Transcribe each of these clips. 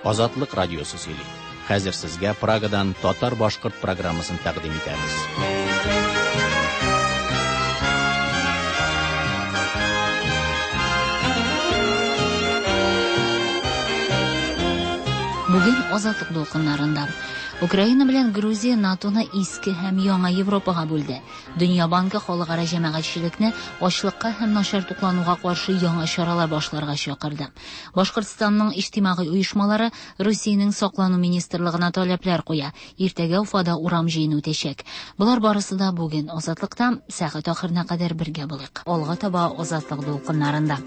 Азатлык радиосы сөйли. Хәзер сезгә Прагадан татар-башкорт программасын тәкъдим итәбез. Бүген Азатлык дулкыннарында Украина белән Грузия НАТОны иске һәм яңа Европага бүлде. Дөнья банкы халыкара җәмәгатьчелекне ачлыкка һәм начар туклануга каршы яңа чаралар башларга чакырды. Башкортстанның иҗтимагый оешмалары Русиянең саклану министрлыгына таләпләр куя. Иртәгә Уфада урам җыены үтәчәк. Болар барысы да бүген Азатлыкта сәгать ахырына кадәр бергә булыйк. Алга таба Азатлык дулкыннарында.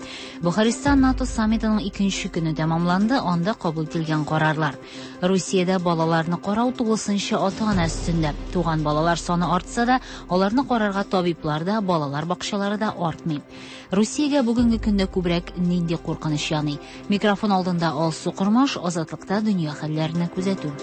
Бухарестта НАТО саммитының икенче көне тәмамланды, анда кабул ителгән карарлар. Русиядә балаларны карау тулысынча ата-ана өстендә. Туган балалар саны артса да, аларны карарга табиблар да, балалар бакчалары да артмый. Русиягә бүгенге көндә күбрәк нинди куркыныч яный? Микрофон алдында Алсу Кормаш, Азатлыкта дөнья хәлләренә күзәтү.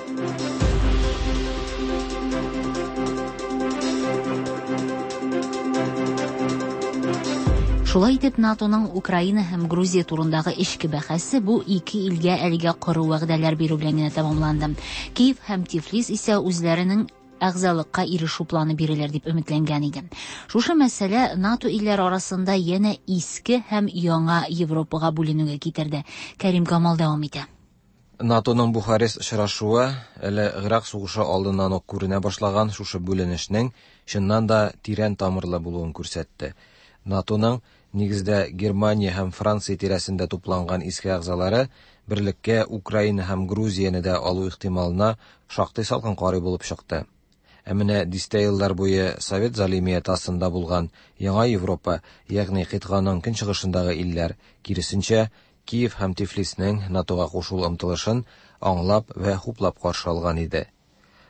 Шулай итеп, НАТОның Украина һәм Грузия турындагы эчке бәхәсе бу ике илгә әлегә коры вәгъдәләр бирү белән генә тәмамланды. Киев һәм Тифлис исә үзләренең әгъзалыкка ирешү планы бирелер дип өметләнгән иде. Шушы мәсьәлә НАТО илләре арасында янә иске һәм яңа Европага бүленүгә китерде. Кәрим Камал дәвам итә. НАТОның Бухарест очрашуы әле Гыйрак сугышы алдыннан ук күренә башлаган шушы бүленешнең чыннан да тирән тамырлы булуын күрсәтте. НАТОның нигездә Германия һәм Франция тирәсендә тупланган иске әгъзалары берлеккә Украина һәм Грузияне дә алу ихтималына шактый салкын карый булып чыкты. Ә менә дистә еллар буе Совет залимияте астында булган Яңа Европа, ягъни кыйтганың көнчыгышындагы илләр, киресенчә, Киев һәм Тифлиснең НАТОга кушылу омтылышын аңлап вә хуплап каршы алган иде.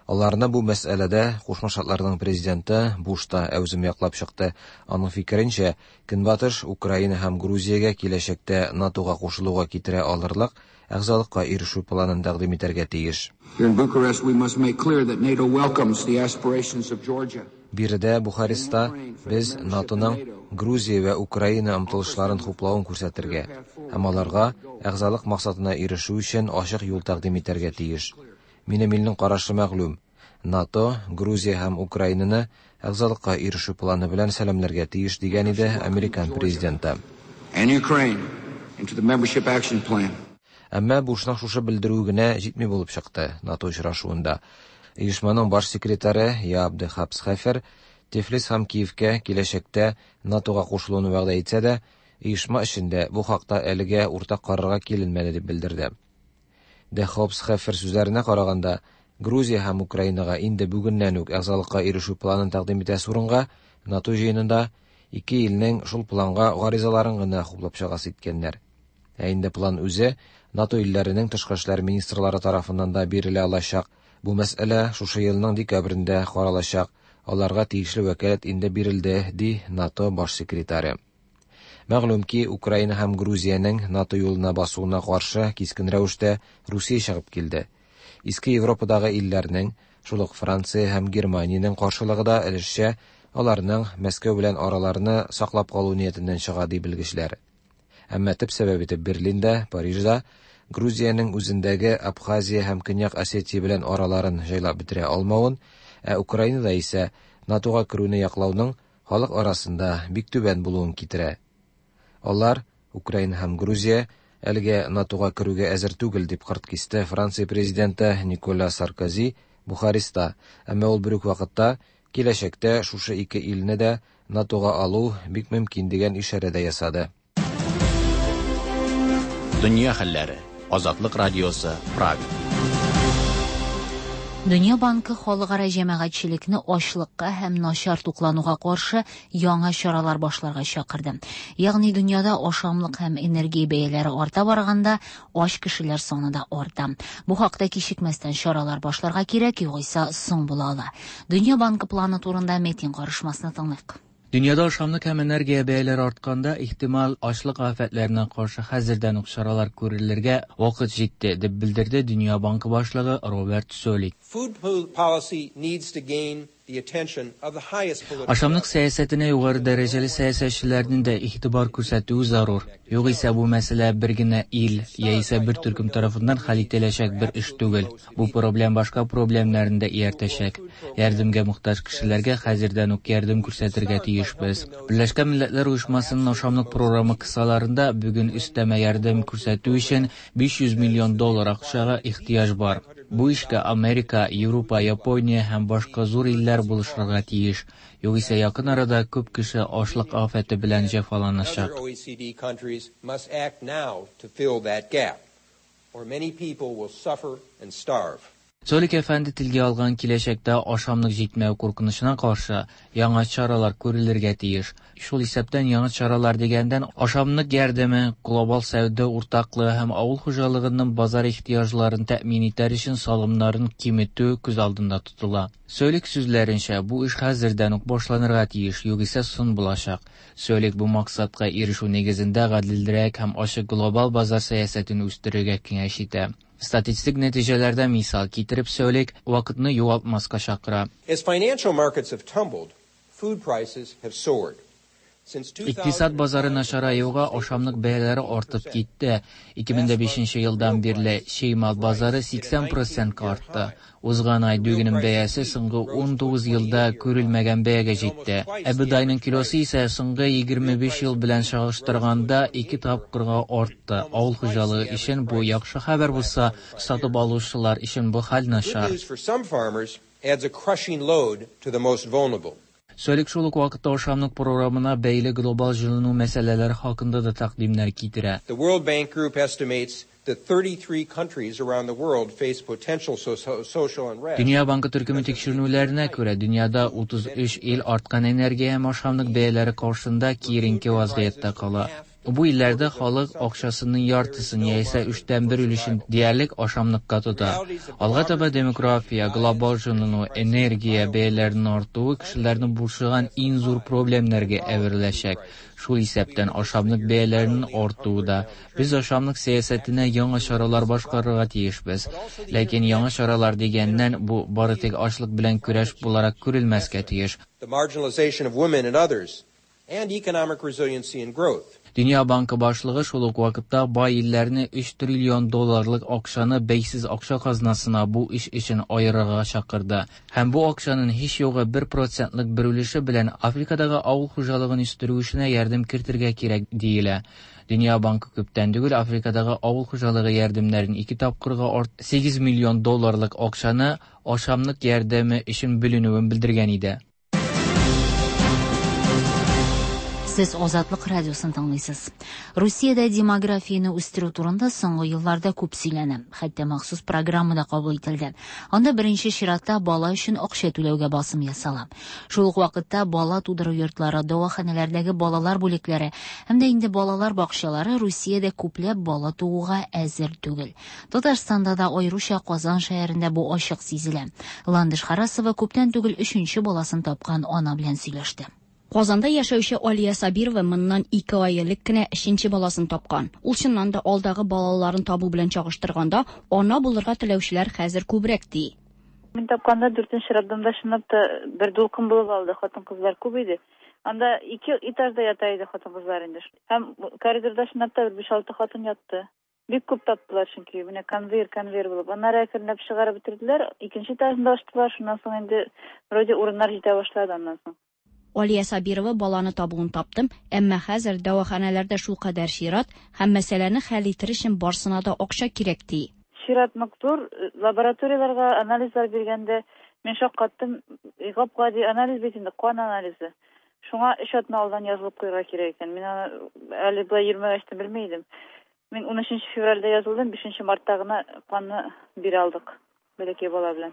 Аларны бу мәсьәләдә Кушма Штатларның президенты Буш та әүзем яклап чыкты. Аның фикеренчә, Көнбатыш Украина һәм Грузиягә киләчәктә НАТОга кушылуга китерә алырлык әгъзалыкка ирешү планын тәкъдим итәргә тиеш. Here in Bucharest, we must make clear that NATO welcomes the aspirations of Georgia. Биредә Бухареста без НАТОның Грузия вә Украина омтылышларын хуплавын күрсәтергә һәм аларга әгъзалык максатына ирешү өчен ачык юл тәкъдим итәргә тиеш. Минем илнең карашы мәгълүм. НАТО Грузия һәм Украинаны әгъзалыкка ирешү планы белән сәламләргә тиеш дигән иде американ президенты. And Ukraine into the membership action plan. Әмма Бушның шушы белдерүе генә җитми булып чыкты НАТО очрашуында. Оешманың баш секретаре Яап де Хоп Схефер Тифлис һәм Киевкә киләчәктә НАТОга кушылуны вәгъдә итсә дә, оешма эчендә бу хакта әлегә уртак карарга киленмәде дип белдерде. Де Хоп Схефер сүзләренә караганда, Грузия һәм Украинага инде бүгеннән үк әгъзалыкка ирешү планын тәкъдим итәсе урынга НАТО җыенында ике илнең шул планга гаризаларын гына хуплап чыгасы иткәннәр. Ә инде план үзе НАТО илләренең тышкы эшләр министрлары тарафыннан да бирелә алачак. Бу мәсьәлә шушы елның декабрендә каралачак. Аларга тиешле вәкаләт инде бирелде, ди НАТО баш секретаре. Мәгълүм ки, Украина һәм Грузиянең НАТО юлына басуына каршы кискен рәвештә Русия чыгып килде. Иске Европадагы илләрнең, шул ук Франция һәм Германиянең каршылыгы да өлешчә аларның Мәскәү белән араларны саклап калу ниятеннән чыга, ди белгечләр. Әмма төп сәбәп итеп Берлинда, Парижда Грузиянең үзендәге Абхазия һәм Көньяк Осетия белән араларын җайлап бетерә алмавын, ә Украинада исә НАТОга керүне яклауның халык арасында бик түбән булуын китерә. Алар, Украина һәм Грузия, әлегә НАТОга керүгә әзер түгел, дип кырт кисте Франция президенты Николя Саркози Бухареста, әмма ул бер үк вакытта киләчәктә шушы ике илне дә НАТОга алу бик мөмкин дигән ишарә дә ясады. Дөнья хәлләре. Азатлык радиосы, Прага. Дөнья банкы халыкара җәмәгатьчелекне ачлыкка һәм начар туклануга каршы яңа чаралар башларга чакырды. Ягъни дөньяда ашамлык һәм энергия бәяләре арта барганда, ач кешеләр саны да арта. Бу хакта кичекмәстән чаралар башларга кирәк, югыйсә соң була ала. Дөнья банкы планы турында Метин карышмасны тыңлыйк. Дөньяда ашамлык һәм энергия бәяләре артканда, ихтимал ачлык афәтләренә каршы хәзердән үк чаралар күрелергә вакыт җитте, дип белдерде Дөнья банкы башлыгы Роберт Солик. Food policy needs to gain Ашамлык сәясәтенә югары дәрәҗәле сәясәтчеләрнең дә игътибар күрсәтүе зарур. Югыйсә бу мәсьәлә бер генә ил яисә бер төркем тарафыннан хәл ителәчәк бер эш түгел. Бу проблем башка проблемнарны да ияртәчәк. Ярдәмгә мохтаҗ кешеләргә хәзердән үк ярдәм күрсәтергә тиешбез. Берләшкән Милләтләр Оешмасының ашамлык програмы кысаларында бүген өстәмә ярдәм күрсәтү өчен 500 миллион доллар акчага ихтыяҗ бар. Бу эшкә Америка, Европа, Япония һәм башка зур илләр булышырга тиеш. Югыйсә якын арада күп кеше ачлык афәте белән җәфаланачак. Цолик әфәнде телгә алган киләчәктә ашамлык җитмәү куркынычына каршы яңа чаралар күрелергә тиеш. Шул исәптән яңа чаралар дигәндән ашамлык ярдәме, глобал сәүдә уртаклыгы һәм авыл хуҗалыгының базар ихтыяҗларын тәэмин итәр өчен салымнарын киметү күз алдында тотыла. Цолик сүзләренчә, бу эш хәзердән үк башланырга тиеш, югыйсә соң булачак. Цолик бу максатка ирешү нигезендә гаделрәк һәм ачык глобал базар сәясәтен үстерергә киңәш итә. Статистик нәтиҗәләрдә мисал китереп Цолик вакытны югалтмаска чакыра. As financial markets have tumbled, food prices have soared. Икътисад базары начараюга ашамлык бәяләре артып китте. 2005 елдан бирле чимал базары 80%-ка артты. Узган ай дөгенең бәясе соңгы 19 елда күрелмәгән бәягә җитте. Ә бодайның килосы исә соңгы 25 ел белән чагыштырганда ике тапкырга артты. Авыл хуҗалыгы өчен бу яхшы хәбәр булса, сатып алучылар өчен бу хәл начар. Good news for some farmers adds a crushing load to the most vulnerable. Цолик шул ук вакытта ашамлык програмына бәйле глобал җылыну мәсьәләләре хакында да тәкъдимнәр китерә. The World Bank Group estimates that 33 countries around the world face potential social unrest. Дөнья банкы төркеме тикшеренүләренә күрә, дөньяда 33 ил арткан энергия һәм ашамлык бәяләре каршында киеренке вазгыятьтә кала. Бу илләрдә халык акчасының яртысын яисә өчтән бер өлешен диярлек ашамлыкка тота. Алга таба демография, глобал җылыну, энергия бәяләренең артуы кешеләрне борчыган иң зур проблемнәргә әвереләчәк. Шул исәптән ашамлык бәяләренең артуы да. Без ашамлык сәясәтенә яңа чаралар башкарырга тиешбез. Ләкин яңа чаралар дигәннән бу бары тик ачлык белән көрәш буларак күрелмәскә тиеш. The marginalization of women and others, and economic resiliency and growth. Дөнья банкы башлыгы шул ук вакытта бай илләрне 3 триллион долларлык акчаны бәйсез акча казнасына бу эш өчен аерырга чакырды. Һәм бу акчаның һич югы 1%лык бер өлеше белән Африкадагы авыл хуҗалыгын үстерү эшенә ярдәм кертергә кирәк диелә. Дөнья банкы күптән түгел Африкадагы авыл хуҗалыгы ярдәмнәрен ике тапкырга 8 миллион долларлык акчаны ашамлык ярдәме өчен бүленүен белдергән иде. Сез Азатлык радиосын тыңлыйсыз. Русиядә демографияне үстерү турында соңгы елларда күп сөйләнә. Хәтта махсус программа да кабул ителде. Анда беренче чиратта бала өчен акча түләүгә басым ясала. Шул ук вакытта бала тудыру йортлары, дәваханәләрдәге балалар бүлекләре һәм дә инде балалар бакчалары Русиядә күпләп бала тууга әзер түгел. Татарстанда да, аеруча Казан шәһәрендә бу ачык сизелә. Ландыш Харасова күптән түгел өченче баласын тапкан ана белән сөйләште. Казанда яшәүче Алия Сабирова моннан 2 ай элек кенә өченче баласын тапкан. Ул чыннан да алдагы балаларын табу белән чагыштырганда, ана булырга теләүчеләр хәзер күбрәк ди. Мин тапканда 4нче роддомда чынлап та бер дулкын булып алды, хатын-кызлар күп иде. Анда 2 этажда ята иде хатын-кызлар инде. Һәм коридорда чынлап та бер 5-6 хатын ятты. Бик күп таптылар, чөнки менә конвейер булып. Аннары әкренләп чыгарып бетерделәр, икенче этажында ачтылар, шуннан соң инде вроде урыннар җитә башлады аннан соң. Алия Сабирова баланы табуын таптым, әмма хәзер дәваханәләрдә шулкадәр чират һәм мәсьәләне хәл итер өчен барсына да акча кирәк ди. Чират нык зур, лабораторияләргә анализлар биргәндә мин шаккаттым, гап-гади анализ бит инде, кан анализы. Шуңа 3 атна алдан язылып куярга кирәк икән. Мин аны әле болай йөрмәгәч тә белми идем. Мин 13 февральдә язылдым, 5 мартта гына канны бирә алдык бәләкәй бала белән.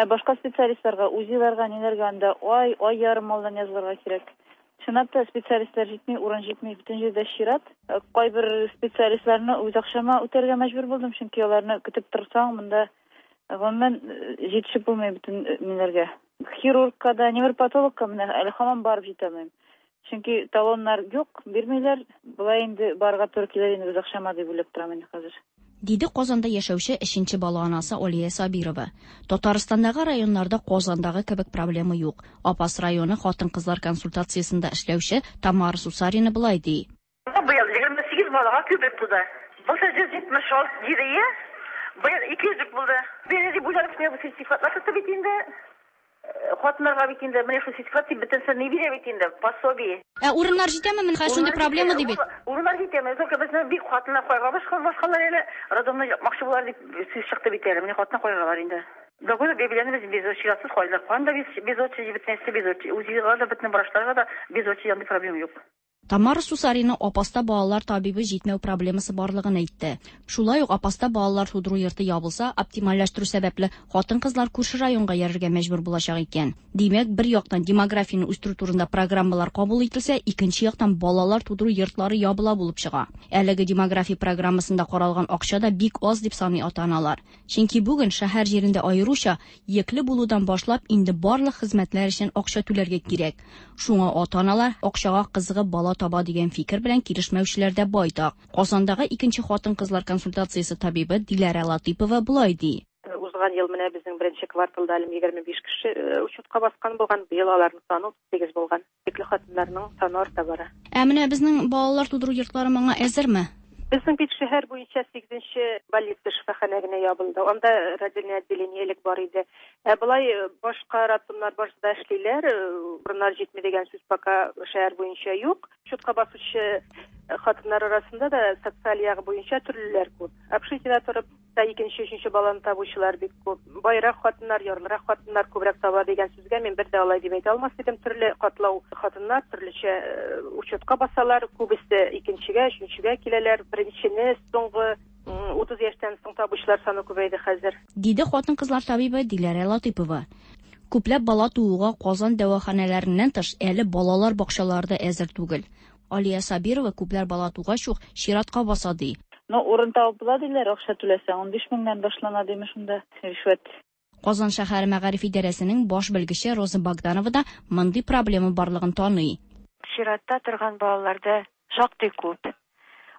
Ә башка специалистларга, УЗИларга, ниләргә анда ай, ай ярым алдан язылырга кирәк. Чынлап та специалистлар җитми, урын җитми, бөтен җирдә чират. Кайбер специалистларны үз акчама үтәргә мәҗбүр булдым, чөнки аларны көтеп торсаң, монда гомумән җитешеп булмый бөтен ниләргә. Хирургка да, невропатологка менә әле һаман барып җитә алмыйм. Чөнки талоннар юк, бирмиләр. Болай инде барырга туры килер инде үз акчама дип уйлап торам инде хәзер. Диде Казанда яшәүче өченче бала анасы Алия Сабирова. Татарстандагы районнарда Казандагы кебек проблема юк. Апас районы хатын-кызлар консультациясендә эшләүче Тамара Сусарина болай ди. Быел 28 балага күбрәк туды. Былтыр 176 диде, быел 200 булды. Бер дип уйланып, бу сертификатлар тотты бит инде. Хатыннарга бит инде менә шул сертификат дип бөтенесе ни бирә бит инде, пособие. Ә урыннар җитәме? Менә шундый проблема ди бит. Урыннар җитәме? Только безне бик хатыннар кайга башкалар әле роддомны япмакчы булар дип сүз чыкты бит әле. Менә хатыннар кайгалар инде. Догуды бәбиләрне без без чиратсыз кайдылар. Канда без без очередь бөтенесе без очередь. УЗИга да бөтен врачларга да без очередь андый проблема юк. Тамара Сусарина Апаста балалар табибы җитмәү проблемасы барлыгын әйтте. Шулай ук Апаста балалар тудыру йорты ябылса, оптимальләштерү сәбәпле хатын-кызлар күрше районга йөрергә мәҗбүр булачак икән. Димәк, бер яктан демографияне үстерү турында программалар кабул ителсә, икенче яктан балалар тудыру йортлары ябыла булып чыга. Әлеге демография программасында каралган акча да бик аз дип саный ата-аналар. Чөнки бүген шәһәр җирендә аеруча йөкле булудан башлап инде барлык хезмәтләр өчен акча түләргә кирәк. Шуңа ата-аналар акчага кызыгып бала таба дигән фикер белән килешмәүчеләр дә байтак. Казандагы икенче хатын-кызлар консультациясе табибы Диләрә Латыпова болай ди. Узган ел менә безнең беренче кварталда әле 25 кеше учетка баскан булган, быел аларның саны 38 булган. Йөкле хатыннарның саны арта бара. Ә менә безнең балалар тудыру йортлары моңа әзерме? Безнең бит шәһәр буенча 8-нче больница шифаханә генә ябылды. Анда родильное отделение элек бар иде. Ә болай башка роддомнар башта эшлиләр, урыннар җитми дигән сүз пока шәһәр буенча юк. Учетка басучы хатыннар арасында да социаль ягы буенча төрлеләр күп. Общежитиедә торып та икенче, өченче баланы табучылар бик күп. Байрак хатыннар, ярлырак хатыннар күбрәк таба дигән сүзгә мин бер дә алай дип әйтә алмас идем. Төрле катлау хатыннар төрлечә учетка басалар, күбесе икенчегә, өченчегә киләләр. Беренчене соңгы 30 яшьтән соң табучылар саны күбәйде хәзер. Диде хатын-кызлар табибы Диләрә Латыпова. Күпләп бала тууга Казан дәваханәләреннән тыш әле балалар бакчалары да әзер түгел. Алия Сабирова күпләр бала тугач ук чиратка баса ди. Но урын табып була диләр, акча түләсәң 15 меңнән башлана димеш шунда ришвәт. Казан шәһәре мәгариф идарәсенең баш белгече Роза Богданова да мондый проблема барлыгын таный. Чиратта торган балаларда шактый күп.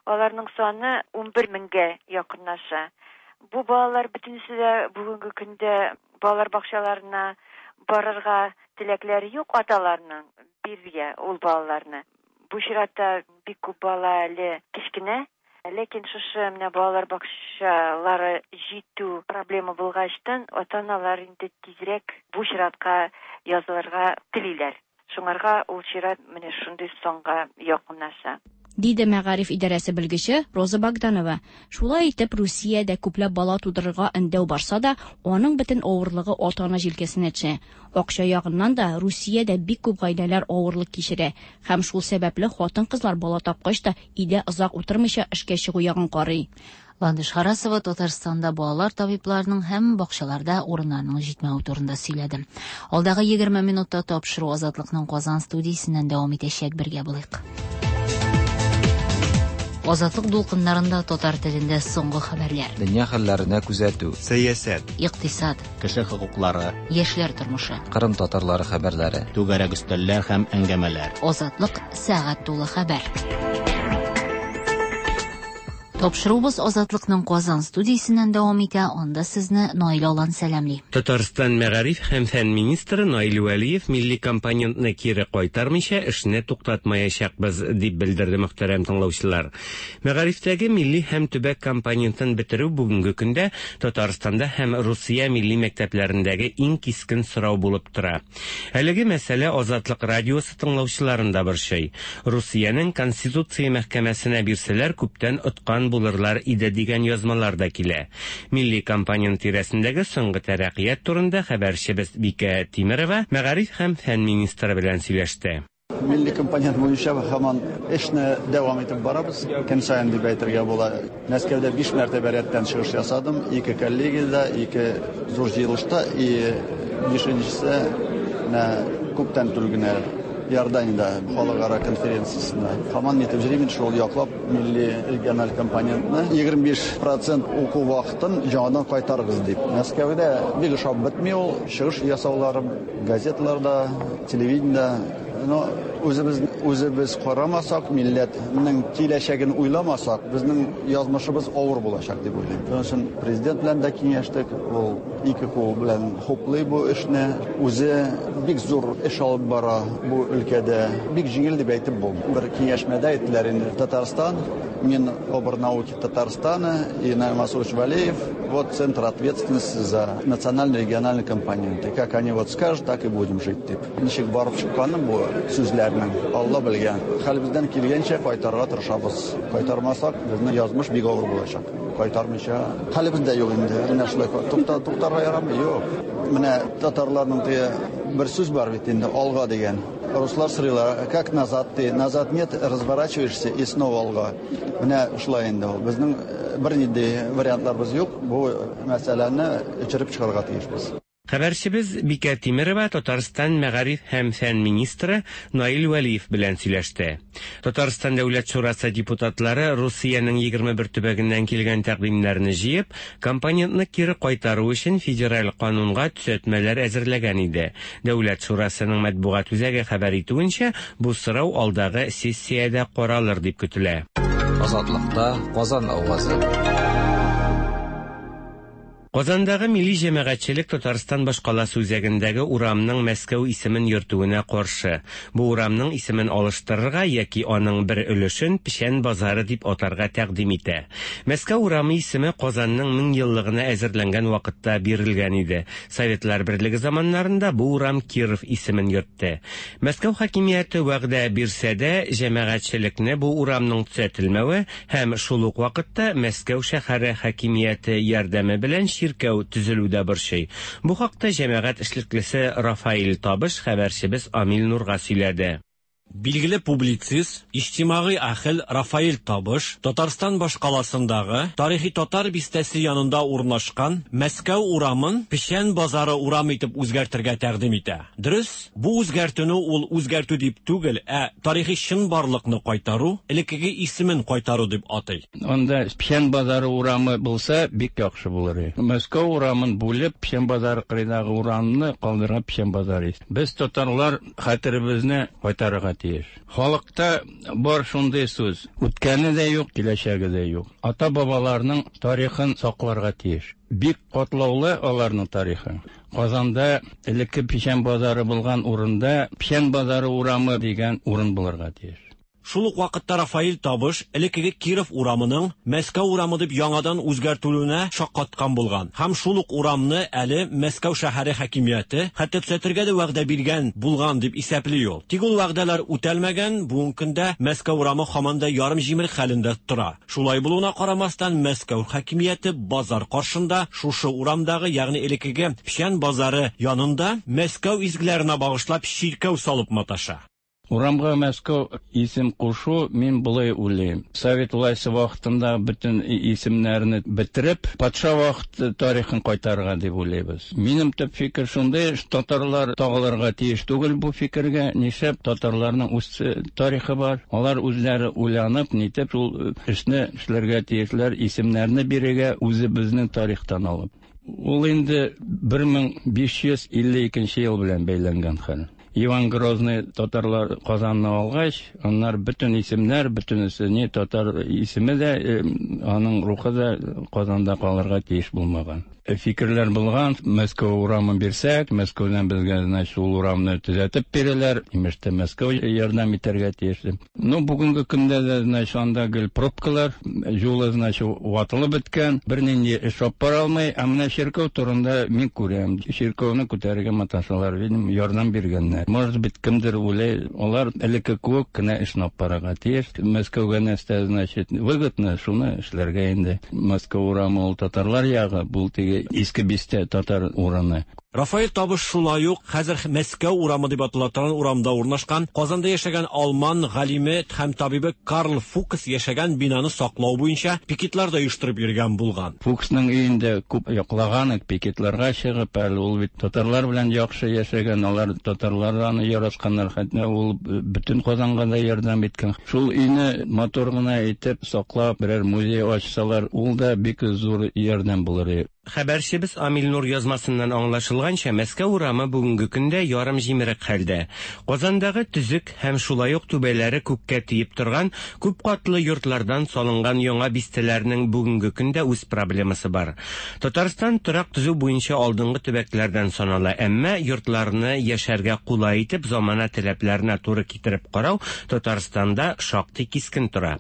Аларның саны 11 меңгә якынлаша. Бу балалар бөтенесе дә бүгенге көндә балалар бакчаларына барырга теләкләре юк аталарның бирергә ул балаларны. Бу чиратта бик күп бала әле кечкенә. Ләкин шушы менә балалар бакчалары җитү проблема булгачтан ата-аналар инде тизрәк бу чиратка язылырга телиләр. Шуңарга ул чират менә шундый санга якынлаша. Диде мәгариф идарәсе белгече Роза Богданова. Шулай итеп, Русиядә күпләп бала тудырырга өндәү барса да, аның бөтен авырлыгы ата-ана җилкәсенә төшә. Акча ягыннан да Русиядә бик күп гаиләләр авырлык кичерә һәм шул сәбәпле хатын-кызлар бала тапкач та өйдә озак утырмыйча эшкә чыгу ягын карый. Ландыш Харасова Татарстанда балалар табибларының һәм бакчаларда урыннарның җитмәве турында сөйләде. Алдагы 20 минутта тапшыру Азатлыкның Казан студиясеннән дәвам итәчәк, бергә булыйк. Азатлык дулкыннарында татар телендә соңгы хәбәрләр. Дөнья хәлләренә күзәтү. Сәясәт. Икътисад. Кеше хокуклары. Яшьләр тормышы. Кырым татарлары хәбәрләре. Түгәрәк өстәлләр һәм әңгәмәләр. Азатлык сәгать тулы хәбәр. Тапшыруыбыз Азатлыкның Казан студиясеннән дәвам итә. Анда сезне Наил Алан сәламли. Татарстан мәгариф һәм фән министры Наил Вәлиев милли компонентны кире кайтармыйча эшне туктатмаячакбыз, дип белдерде мөхтәрәм тыңлаучылар. Мәгарифтәге милли һәм төбәк компонентын бетерү бүгенге көндә Татарстанда һәм Русия милли мәктәпләрендәге иң кискен сорау булып тора. Әлеге мәсьәлә Азатлык радиосы тыңлаучыларын да борчый. Русиянең Конституция мәхкәмәсенә бирсәләр күптән откан булырлар иде дигән язмалар да килә. Милли компонент тирәсендәге соңгы тәрәккыят турында хәбәрчебез Бикә Тимерова мәгариф һәм фән министры белән сөйләште. Милли компонент буенча һаман эшне дәвам итеп барабыз. Көн саен дип әйтергә була. Мәскәүдә 5 мәртәбә рәттән чыгыш ясадым. 2 коллегиядә, 2 зур җыелышта, и 5-нчесе менә күптән түгел генә Иорданиядә халыкара конференциясендә. Һаман нитеп йөрим, шул яклап милли региональ компонентны 25% уку вакытын яңадан кайтарыгыз дип. Мәскәүдә бик ошап бетми ул чыгыш ясауларым газеталарда, телевидениедә. Но үзебез үзебез карамасак, милләтнең киләчәген уйламасак, безнең язмышыбыз авыр булачак дип уйлыйм. Шуның өчен президент белән дә киңәштек, ул ике кул белән хуплый бу эшне. Үзе бик зур эш алып бара бу өлкәдә. Бик җиңел дип әйтеп булмый. Бер киңәшмәдә әйттеләр инде, Татарстан, Минобрнауки Татарстана и Наиль Мансурович Валеев, вот центр ответственности за национально-региональные компоненты. Как они вот скажут, так и будем жить, дип. Ничек барып чыкканын бу сүзләрнең, Алла белгән. Хәлебездән килгәнчә кайтарырга тырышабыз. Кайтармасак, безнең язмыш бик авыр булачак. Кайтармыйча хәлебез дә юк инде. Менә шулай тукта, туктарга ярамый, юк. Менә татарларның теге бер сүз бар бит инде, алга дигән. Руслар сорыйлар, как назад ты? Назад нет, разворачиваешься и снова алга. Менә шулай инде ул. Безнең бернинди вариантларыбыз юк. Бу мәсьәләне эчереп чыгарга тиешбез. Хәбәрчебез Бикә Тимерова Татарстан мәгариф һәм фән министры Наил Вәлиев белән сөйләште. Татарстан Дәүләт шурасы депутатлары Русиянең 21 төбәгеннән килгән тәкъдимнәрне җыеп, компонентны кире кайтару өчен федераль канунга төзәтмәләр әзерләгән иде. Дәүләт шурасының матбугат үзәге хәбәр итүенчә, бу сорау алдагы сессиядә каралыр дип көтелә. Азатлыкта Казан авазы. Казандагы милли җәмәгатьчелек Татарстан башкаласы үзәгендәге урамның Мәскәү исемен йөртүенә каршы. Бу урамның исемен алыштырырга яки аның бер өлешен Печән базары дип атарга тәкъдим итә. Мәскәү урамы исеме Казанның 1000 еллыгына әзерләнгән вакытта бирелгән иде. Советлар Берлеге заманнарында бу урам Киров исемен йөртте. Мәскәү хакимияте вәгъдә бирсә дә, җәмәгатьчелекне бу урамның төзәтелмәве һәм шул ук вакытта Мәскәү шәһәре хакимияте ярдәме белән чиркәү төзелү дә борчый. Бу хакта җәмәгать эшлеклесе Рафаэль Табыш хәбәрчебез Амил Нурга сөйләде. Билгеле публицист, иҗтимагый әһел Рафаэль Табыш Татарстан башкаласындагы тарихи татар бистәсе янында урнашкан Мәскәү урамын Печән базары урамы итеп үзгәртергә тәкъдим итә. Дөрес, бу үзгәртүне ул үзгәртү дип түгел, ә тарихи чынбарлыкны кайтару, элеккеге исемен кайтару дип атый. Анда Печән базары урамы булса, бик яхшы булыр иде. Мәскәү урамын бүлеп, Печән базары кырыйдагы урамны калдырган Печән базары. Без татарлар хәтеребезне кайтарырга тиеш. Халыкта бар шундый сүз: үткәне дә юк, киләчәге дә юк. Ата-бабаларның тарихын сакларга тиеш. Бик катлаулы аларның тарихы. Казанда элекке Печән базары булган урында Печән базары урамы дигән урын булырга тиеш. Шул ук вакытта Рафаэль Табыш элеккеге Киров урамының Мәскәү урамы дип яңадан үзгәртелүенә шаккаткан булган. Һәм шул ук урамны әле Мәскәү шәһәре хакимияте хәтта төзәтергә дә вәгъдә биргән булган дип исәпли ул. Тик ул вәгъдәләр үтәлмәгән, бүгенге көндә Мәскәү урамы һаман да ярым җимерек хәлендә тора. Шулай булуына карамастан, Мәскәү хакимияте базар каршында шушы урамдагы, ягъни элеккеге Печән базары янында Мәскәү изгеләренә багышлап чиркәү салып маташа. Урамга Мәскәү исем кушу, мин болай уйлыйм. Совет власте вакытында бөтен исемнәрне бетереп, патша вакыты тарихын кайтарырга дип уйлыйбыз. Минем төп фикер шундый, татарлар тагылырга тиеш түгел бу фикергә. Нишләп татарларның үз тарихы бар? Алар үзләре уйланып, нитеп шул эшне эшләргә тиешләр, исемнәрне бирергә үзебезнең тарихтан алып. Ул инде 1552 ел белән бәйләнгән хәл. Иван Грозный татарлар Казанны алгач, аннар бөтен исемнәр, бөтенесе не татар исеме дә, аның рухы да Казанда калырга тиеш булмаган. Фикерләр булган, Мәскәү урамын бирсәк, Мәскәүдән безгә, значит, ул урамны төзәтеп бирәләр, имеш тә Мәскәү ярдәм итәргә тиеш. Ну, бүгенге көндә дә, значит, анда гел пробкалар, юлы, значит, ватылып беткән, бернинди эш алып бара алмый. Ә менә чиркәү турында мин күрәм. Чиркәүне күтәрергә маташалар, видимо, ярдәм биргәннәр. Может быть, кемдер уйлый, алар элекке кебек кенә эшне алып барырга тиеш. Мәскәүгә нәрсә, значит, выгодно, шуны эшләргә инде. Мәскәү урамы ул татарлар ягы, бу теге иске бистә татар урыны. Рафаэль Табыш шулай ук хәзер Мәскәү урамы дип атала торган урамда урнашкан Казанда яшәгән алман галиме һәм табибы Карл Фукс яшәгән бинаны саклау буенча пикетлар да оештырып йөргән булган. Фуксның өендә күп яклаган, пикетларга чыгып, әле ул бит татарлар белән яхшы яшәгән, алар татарлар аны яратканнар, хәтта ул бөтен Казанга да ярдәм иткән. Шул өйне матур гына итеп саклап, берәр музей ачсалар, ул да бик зур ярдәм булыр иде. Хәбәрчебез Амил Нур язмасыннан аңлашылганча, Мәскәү урамы бүгенге көндә ярым җимерек хәлдә. Казандагы төзек һәм шулай ук түбәләре күккә тиеп торган күп катлы йортлардан салынган яңа бистәләрнең бүгенге көндә үз проблемасы бар. Татарстан торак төзү буенча алдынгы төбәкләрдән санала, әмма йортларны яшәргә кулай итеп замана таләпләренә туры китереп карау Татарстанда шактый кискен тора.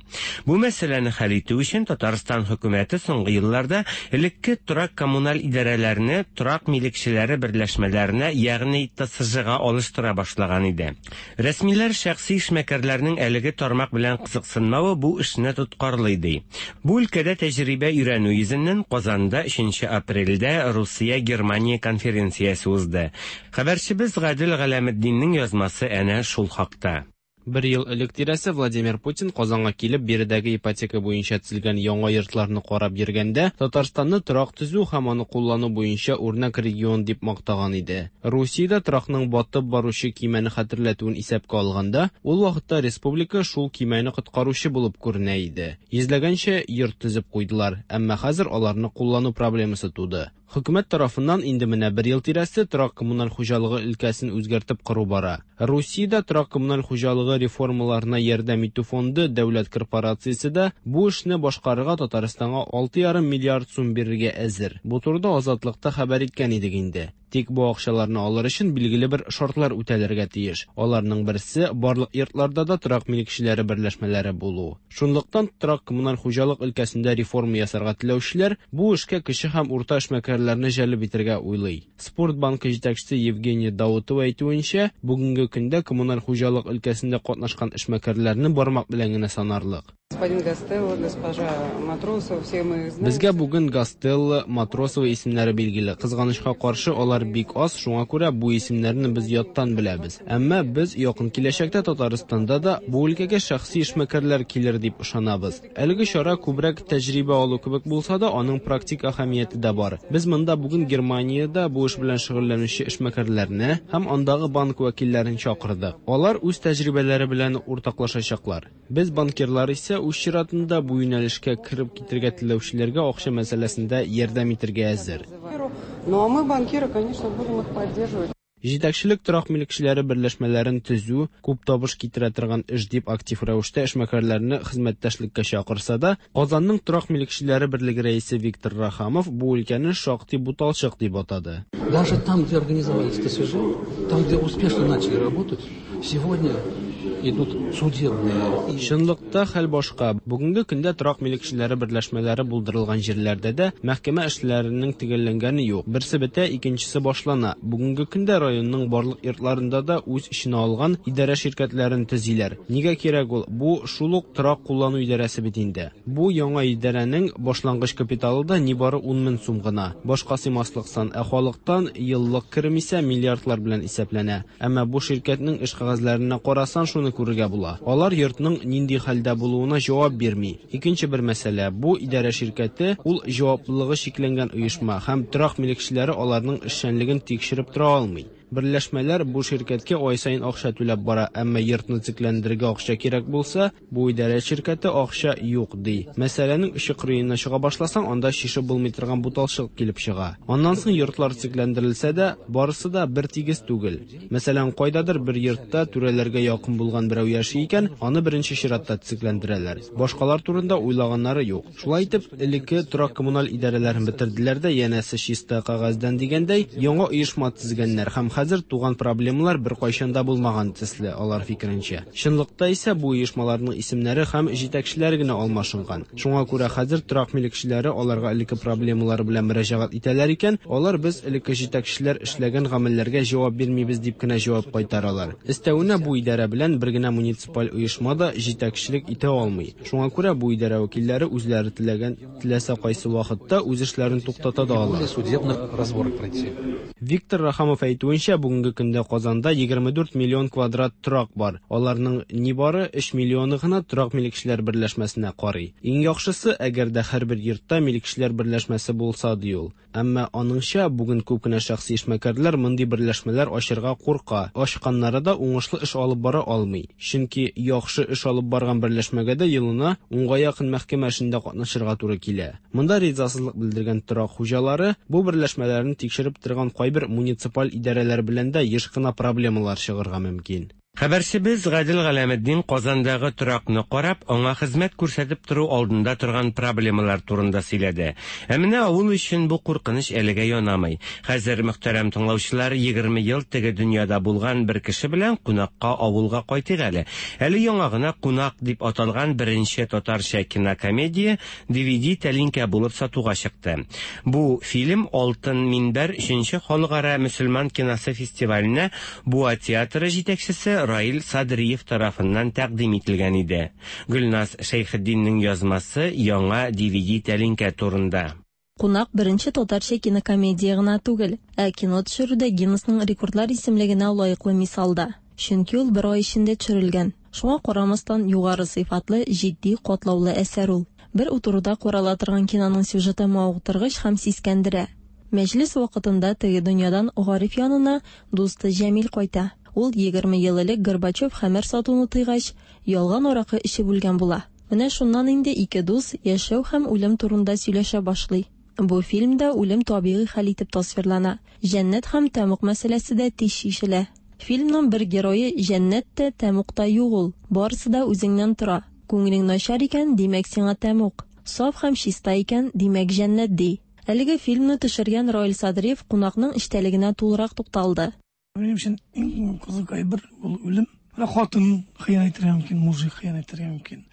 Бу мәсьәләне хәл итү өчен Татарстан хөкүмәте соңгы елларда элекке торак-коммуналь идарәләрне торак милекчеләре берләшмәләренә, ягъни ТСЖга алыштыра башлаган иде. Рәсмиләр шәхси эшмәкәрләрнең әлеге тармак белән кызыксынмавы бу эшне тоткарлый ди. Бу өлкәдә тәҗрибә өйрәнү йөзеннән Казанда 3 апрельдә Русия-Германия конференциясе узды. Хәбәрчебез Гадел Галәметдиннең язмасы әнә шул хакта. Бер ел элек тирәсе Владимир Путин Казанга килеп, биредәге ипотека буенча төзелгән яңа йортларны карап йөргәндә, Татарстанны торак төзү һәм аны куллану буенча үрнәк регион дип мактаган иде. Русиядә торакның батып баручы көймәне хәтерләтүен исәпкә алганда, ул вакытта республика шул көймәне коткаручы булып күренә иде. Йөзләгәнчә йорт төзеп куйдылар, әмма хәзер аларны куллану проблемасы туды. Хөкүмәт тарафыннан инде менә бер ел тирәсе торак-коммуналь хуҗалыгы өлкәсен үзгәртеп кору бара. Русиядә торак-коммуналь хуҗалыгы реформаларына ярдәм итү фонды дәүләт корпорациясе дә бу эшне башкарырга Татарстанга 6,5 миллиард сум бирергә әзер. Бу турыда Азатлыкта хәбәр иткән идек инде. Тик бу акчаларны алыр өчен билгеле бер шартлар үтәлергә тиеш. Аларның берсе, барлык йортларда да торак милекчеләре берләшмәләре булу. Шунлыктан торак-коммуналь хуҗалык өлкәсендә реформа ясарга теләүчеләр бу эшкә кече һәм урта эшмәкәрләрне җәлеп итәргә уйлый. Спорт банкы җитәкчесе Евгения Даутова әйтүенчә, бүгенге көндә коммуналь хуҗалык өлкәсендә катнашкан эшмәкәрләрне бармак белән генә санарлык. Господин Гастелло, госпожа Матросова, все мы их знаем. Безгә бүген Гастелло, Матросова исемнәре билгеле. Кызганычка каршы, алар бик аз, шуңа күрә бу исемнәрне без яттан беләбез. Әмма без якын киләчәктә Татарстанда да бу өлкәгә шәхси эшмәкәрләр килер дип ышанабыз. Әлеге чара күбрәк тәҗрибә алу кебек булса да, аның практик әһәмияте дә бар. Без монда бүген Германиядә бу эш белән шөгыльләнүче эшмәкәрләрне һәм андагы банк вәкилләрен чакырдык. Алар үз тәҗрибәләре белән уртаклашачаклар. Без банкирлар исә үз чиратында бу юнәлешкә кереп китергә теләүчеләргә акча мәсьәләсендә ярдәм итергә әзер. Ну а мы, банкиры, конечно, будем их поддерживать. Җитәкчелек торак милекчеләре берләшмәләрен төзү күп табыш китерә торган эш дип актив рәвештә эшмәкәрләрне хезмәттәшлеккә чакырса да, Казанның торак милекчеләре берлеге рәисе Виктор Рахамов бу өлкәне шактый буталчык дип атады. Даже там, где организовались ТСЖ, там, где успешно начали работать, сегодня идут судебные. Чынлыкта хәл башка. Бүгенге көндә торак милекчеләре берләшмәләре булдырылган җирләрдә дә мәхкәмә эшләренең төгәлләнгәне юк. Берсе бетә, икенчесе башлана. Бүгенге көндә районның барлык йортларында да үз эченә алган идарә ширкәтләрен төзиләр. Нигә кирәк ул? Бу шул ук торак куллану идарәсе бит инде. Бу яңа идарәнең башлангыч капиталы да нибары 10 мең сум гына. Башка сыймаслык сан, ә халыктан еллык керем исә миллиардлар белән исәпләнә. Әмма бу ширкәтнең эш кәгазьләренә карасаң, шуны күрергә була. Алар йортның нинди хәлдә булуына җавап бирми. Икенче бер мәсьәлә, бу идарә ширкәте ул җаваплылыгы чикләнгән оешма һәм торак милекчеләре аларның эшчәнлеген тикшереп тора алмый. Берләшмәләр бу ширкәткә ай саен акча түләп бара, әмма йортны төзекләндерергә акча кирәк булса, бу идарә ширкәте акча юк ди. Мәсьәләнең очы кырыена чыга башласаң, анда чишеп булмый торган буталчык килеп чыга. Аннан соң йортлар төзекләндерелсә дә, барысы да бер тигез түгел. Мәсәлән, кайдадыр бер йортта түрәләргә якын булган берәү яши икән, аны беренче чиратта төзекләндерәләр. Башкалар турында уйлаганнары юк. Шулай итеп, элекке торак-коммуналь идарәләрен бетерделәр дә, янәсе чиста кәгазьдән дигәндәй, яңа оешма төзегәннәр һәм хәзер туган проблемалар беркайчан да булмаган төсле, алар фикеренчә. Чынлыкта исә бу оешмаларның исемнәре һәм җитәкчеләре генә алмашынган. Шуңа күрә хәзер торак милекчеләре аларга элекке проблемалары белән мөрәҗәгать итәләр икән, алар без элекке җитәкчеләр эшләгән гамәлләргә җавап бирмибез дип кенә җавап кайтаралар. Өстәвенә бу идарә белән бер генә муниципаль оешма да җитәкчелек итә алмый. Шуңа күрә бу идарә вәкилләре үзләре теләгән теләсә кайсы вакытта үз эшләрен туктата да ала. Судебных разборок пройти. Виктор Рахамов әйтүенчә, Әйтүенчә, бүгенге көндә Казанда 24 миллион квадрат торак бар. Аларның нибары 3 миллионы гына торак милекчеләр берләшмәсенә карый. Иң яхшысы, әгәр дә һәрбер йортта милекчеләр берләшмәсе булса, ди ул. Әмма, аныңча, бүген күп кенә шәхси эшмәкәрләр мондый берләшмәләр ачырга курка, ачканнары да уңышлы эш алып бара алмый. Чөнки яхшы эш алып барган берләшмәгә дә елына унга якын мәхкәмә эшендә катнашырга туры килә. Монда ризасызлык белдергән торак хуҗалары бу берләшмәләрне тикшереп торган кайбер муниципаль идарәләр белән дә еш кына проблемалар чыгырга мөмкин. Хәбәрчебез Гадел Галәметдин Казандагы торакны карап, аңа хезмәт күрсәтеп тору алдында торган проблемалар турында сөйләде. Ә менә авыл өчен бу куркыныч әлегә янамый. Хәзер, мөхтәрәм тыңлаучылар, 20 ел теге дөньяда булган бер кеше белән кунакка авылга кайтыйк әле. Әле яңа гына Кунак дип аталган беренче татарча кинокомедия DVD тәлинкә булып сатуга чыкты. Бу фильм Алтын минбәр өченче халыкара мөселман киносы фестиваленә Буа театры җитәкчесе Раил Садриев тарафыннан тәкъдим ителгән иде. Гөлназ Шәйхетдиннең язмасы яңа DVD тәлинкә турында. Кунак беренче татарча кинокомедия гына түгел, ә кино төшерүдә Гиннесның рекордлар исемлегенә лаеклы мисал да. Чөнки ул бер ай эчендә төшерелгән. Шуңа карамастан, югары сыйфатлы, җитди, катлаулы әсәр ул. Бер утыруда карала торган киноның сюжеты мавыктыргыч һәм сискәндерә. Мәҗлес вакытында теге дөньядан Гариф янына дусты Җәмил кайта. Ул 20 ел элек Горбачев хәмер сатуны тыйгач, ялган аракы эчеп үлгән була. Менә шуннан инде ике дус яшәү һәм үлем турында сөйләшә башлый. Бу фильмда үлем табигый хәл итеп тасвирлана. Җәннәт һәм тәмуг мәсьәләсе дә тиз чишелә. Фильмның бер герое Җәннәт тә, тәмуг та юк ул, барысы да үзеңнән тора. Күңелең начар икән, димәк сиңа тәмуг. Саф һәм чиста икән, димәк җәннәт, ди. Әлеге фильмны төшергән Раил Садриев кунакның эчтәлегенә тулырак тукталды. Минем өчен иң кызык әйбер ул үлем. Менә хатын хыянәт итәргә мөмкин, мужик хыянәт итәргә мөмкин.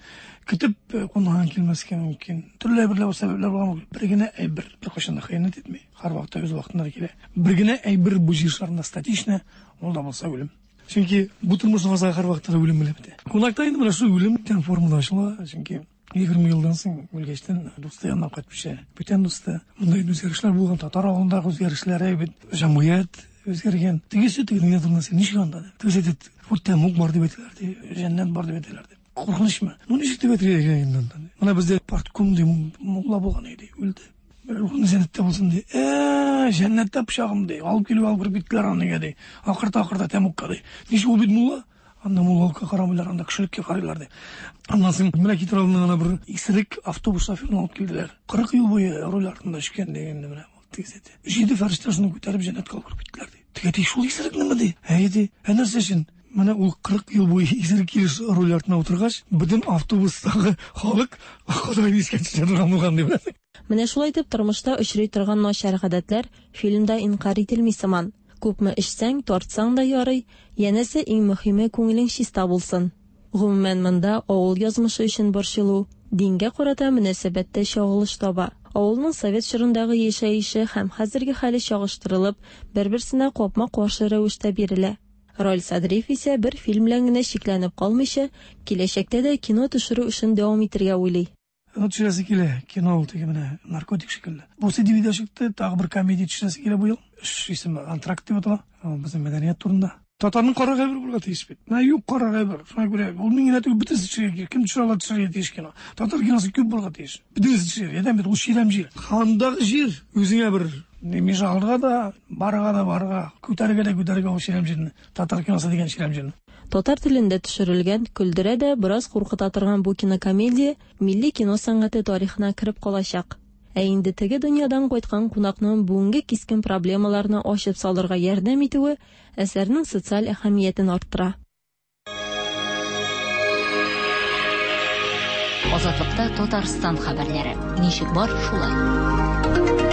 Көтеп э, кунагың килмәскә мөмкин. Төрле әйберләр сәбәпләр булган мөмкин. Бер генә әйбер беркайчан да хыянәт итми. Һәрвакытта үз вакытында килә. Бер генә әйбер бу җир шарында статично, ул да булса үлем. Чөнки бу тормышның азагы һәрвакытта да үлем белән бетә. Кунакта инде менә шул үлем дигән формада ачыла, чөнки 20 елдан соң үлгәчтен дусты янына кайтып төшә. Бүтән дусты. Монда инде үзгәрешләр булган, татар авылындагы үзгәрешләр бит, җәмгыять үзгәргән. Тегесе теге дөнья турында син ничек анда? Тегесе әйтә, вот тәмуг бар дип әйтәләр, ди, җәннәт бар дип әйтәләр, ди. Куркынычмы? Ну ничек дип әйтергә кирәк инде анда? Менә бездә партком ди, мулла булган иде, үлде. Рухың җәннәттә булсын ди. Э, җәннәттә пычагым ди. Алып килеп алып кереп киттеләр аны нигә ди. Акырта-акырта тәмугка ди. Ничек ул бит мулла? Анда муллалыкка карамыйлар, анда кешелеккә карыйлар ди. Аннан соң менә китер алдына гына бер исерек автобус шоферын алып килделәр. 40 ел буе руль артында эчкән ди инде менә. Тегесе әйтә. Җиде фәрештә шуны күтәреп җәннәткә алып кереп киттеләр ди. Теге әти шул исерекнеме ди? Әйе ди. Ә нәрсә өчен? Менә ул 40 ел буе исерек килеш руль артына утыргач, бөтен автобустагы халык Ходайны искә төшерә торган булган ди беләсең. Менә шулай итеп тормышта очрый торган начар гадәтләр фильмда инкарь ителми сыман. Күпме эчсәң, тартсаң да ярый, янәсе иң мөһиме күңелең чиста булсын. Гомумән монда авыл язмышы өчен борчылу, дингә карата мөнәсәбәт тә чагылыш таба. Авылның совет чорындагы яшәеше һәм хәзерге хәле чагыштырылып, бер-берсенә капма-каршы рәвештә бирелә. Раил Садриев исә бер фильм белән генә чикләнеп калмыйча, киләчәктә дә кино төшерү эшен дәвам итергә уйлый. Аны төшерәсе килә, кино ул теге менә наркотик шикелле. Бусы DVD чыкты, тагы бер комедия төшерәсе килә бу ел. Эш исеме Антракт дип атала. Безнең мәдәният турында. Татарның карар әйбер булырга тиеш бит. Менә юк карар әйбер. Шуңа күрә ул мин генә түгел, бөтенесе төшерергә кирәк. Кем төшерә ала төшерергә тиеш кино. Татар киносы күп булырга тиеш. Бөтенесе төшерергә. Әдәм бит ул чирәм җир. Андагы җир үзеңә бер миша алырга да, барырга да барырга, күтәрергә дә күтәрергә ул чирәм җирне. Татар киносы дигән чирәм җирне. Татар телендә төшерелгән, көлдерә дә, бераз куркыта торган бу кинокомедия милли кино сәнгате тарихына кереп калачак. Ә инде теге дөньядан кайткан кунакның бүгенге кискен проблемаларны ачып салырга ярдәм итүе әсәрнең социаль әһәмиятен арттыра. Азатлыкта Татарстан хәбәрләре. Ничек бар, шулай.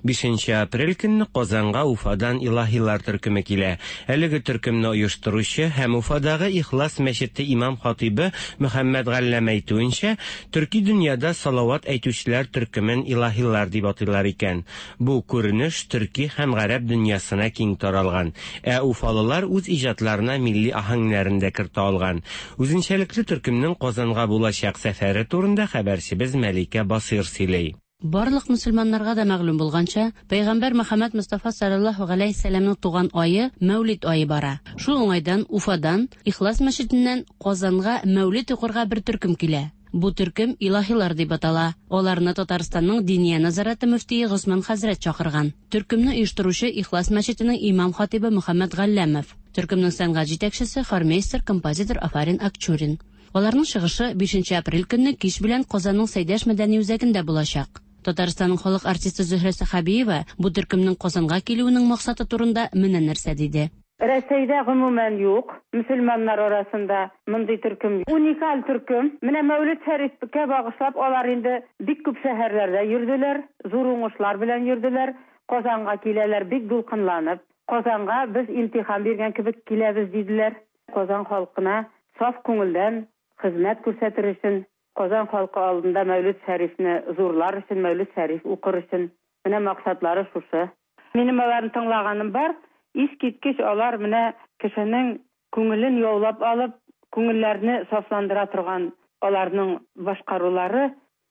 5 апрель көнне Казанга Уфадан Илаһилар төркеме килә. Әлеге төркемне оештыручы һәм Уфадагы Ихлас мәчете имам-хатыйбы Мөхәммәд Галләм әйтүенчә, төрки дөньяда салават әйтүчеләр төркемен илаһилар дип атыйлар икән. Бу күренеш төрки һәм гарәп дөньясына киң таралган. Ә уфалылар үз иҗатларына милли аһәңнәрен дә кертә алган. Үзенчәлекле төркемнең Казанга булачак сәфәре турында хәбәрчебез Мәликә Басыйр сөйли. Барлык мөселманнарга да мәгълүм булганча, пәйгамбәр Мөхәммәд Мостафа салләллаһу галәйһи сәламнең туган ае Мәүлид ае бара. Шул уңайдан Уфадан, Ихлас мәчетеннән Казанга Мәүлид укырга бер төркем килә. Бу төркем Илаһилар дип атала. Аларны Татарстанның Диния нәзарәте мөфтие Госман хәзрәт чакырган. Төркемне оештыручы Ихлас мәчетенең имам-хатыйбы Мөхәммәд Галләмов. Төркемнең сәнгать җитәкчесе, хормейстер, композитор Афарин Акчурин. Аларның чыгышы бишенче апрель көнне кич белән Казанның Сәйдәш мәдәни үзәгендә булачак. Татарстанның халык артисты Зөһрә Сәхәбиева бу төркемнең Казанга килүенең максаты турында менә нәрсә диде. Рәсәйдә гомумән юк, мөселманнар арасында мондый төркем. Уникаль төркем. Менә Мәүлет Шәрифкә багышлап алар инде бик күп шәһәрләрдә йөрделәр, зур уңышлар белән йөрделәр. Казанга киләләр бик дулкынланып. Казанга без имтихан биргән кебек киләбез, диделәр. Казан халкына саф күңелдән хезмәт күрсәтер өчен, Казан халкы алдында Мәүлет Шәрифне зурлар өчен, Мәүлет Шәриф укыр өчен. Менә максатлары шушы. Минем аларны тыңлаганым бар, искиткеч алар менә кешенең күңелен яулап алып, күңелләрне сафландыра торган аларның башкарулары.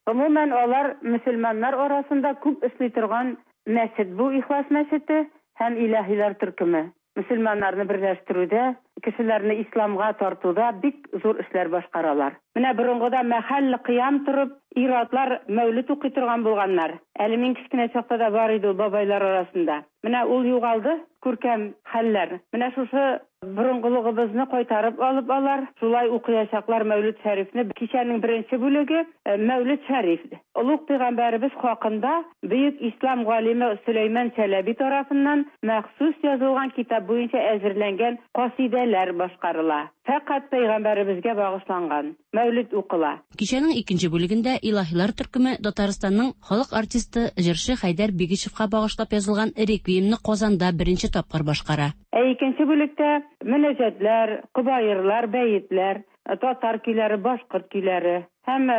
Гомумән, алар мөселманнар арасында күп эшли торган мәчет бу Ихлас мәчете һәм Илаһилар төркеме. Мөселманнарны берләштерүдә, кешеләрне исламга тартуда бик зур эшләр башкаралар. Менә борынгыда мәхәлле кыям торып, ир-атлар мәүлет укый торган булганнар. Әле мин кечкенә чакта да бар иде ул бабайлар арасында. Менә ул югалды, күркәм хәлләр. Менә шушы борынгылыгыбызны кайтарып алып алар шулай укыячаклар Мәүлет Шәрифне. Кичәнең беренче бүлеге, Мәүлет Шәриф. Олуг пәйгамбәребез хакында бөек ислам галиме Сөләйман Чәләби тарафыннан махсус язылган китап буенча әзерләнгән касыйдәләр башкарыла. Фәкать пәйгамбәребезгә багышланган Мәүлет укыла. Кичәнең икенче бүлегендә Илаһилар төркеме Татарстанның халык артисты, җырчы Хәйдәр Бигичевка багышлап язылган Реквиемны Казанда беренче тапкыр башкара. Ә икенче бүлектә мөнәҗәтләр, кобаерлар, бәетләр, татар көйләре, башкорт көйләре һәм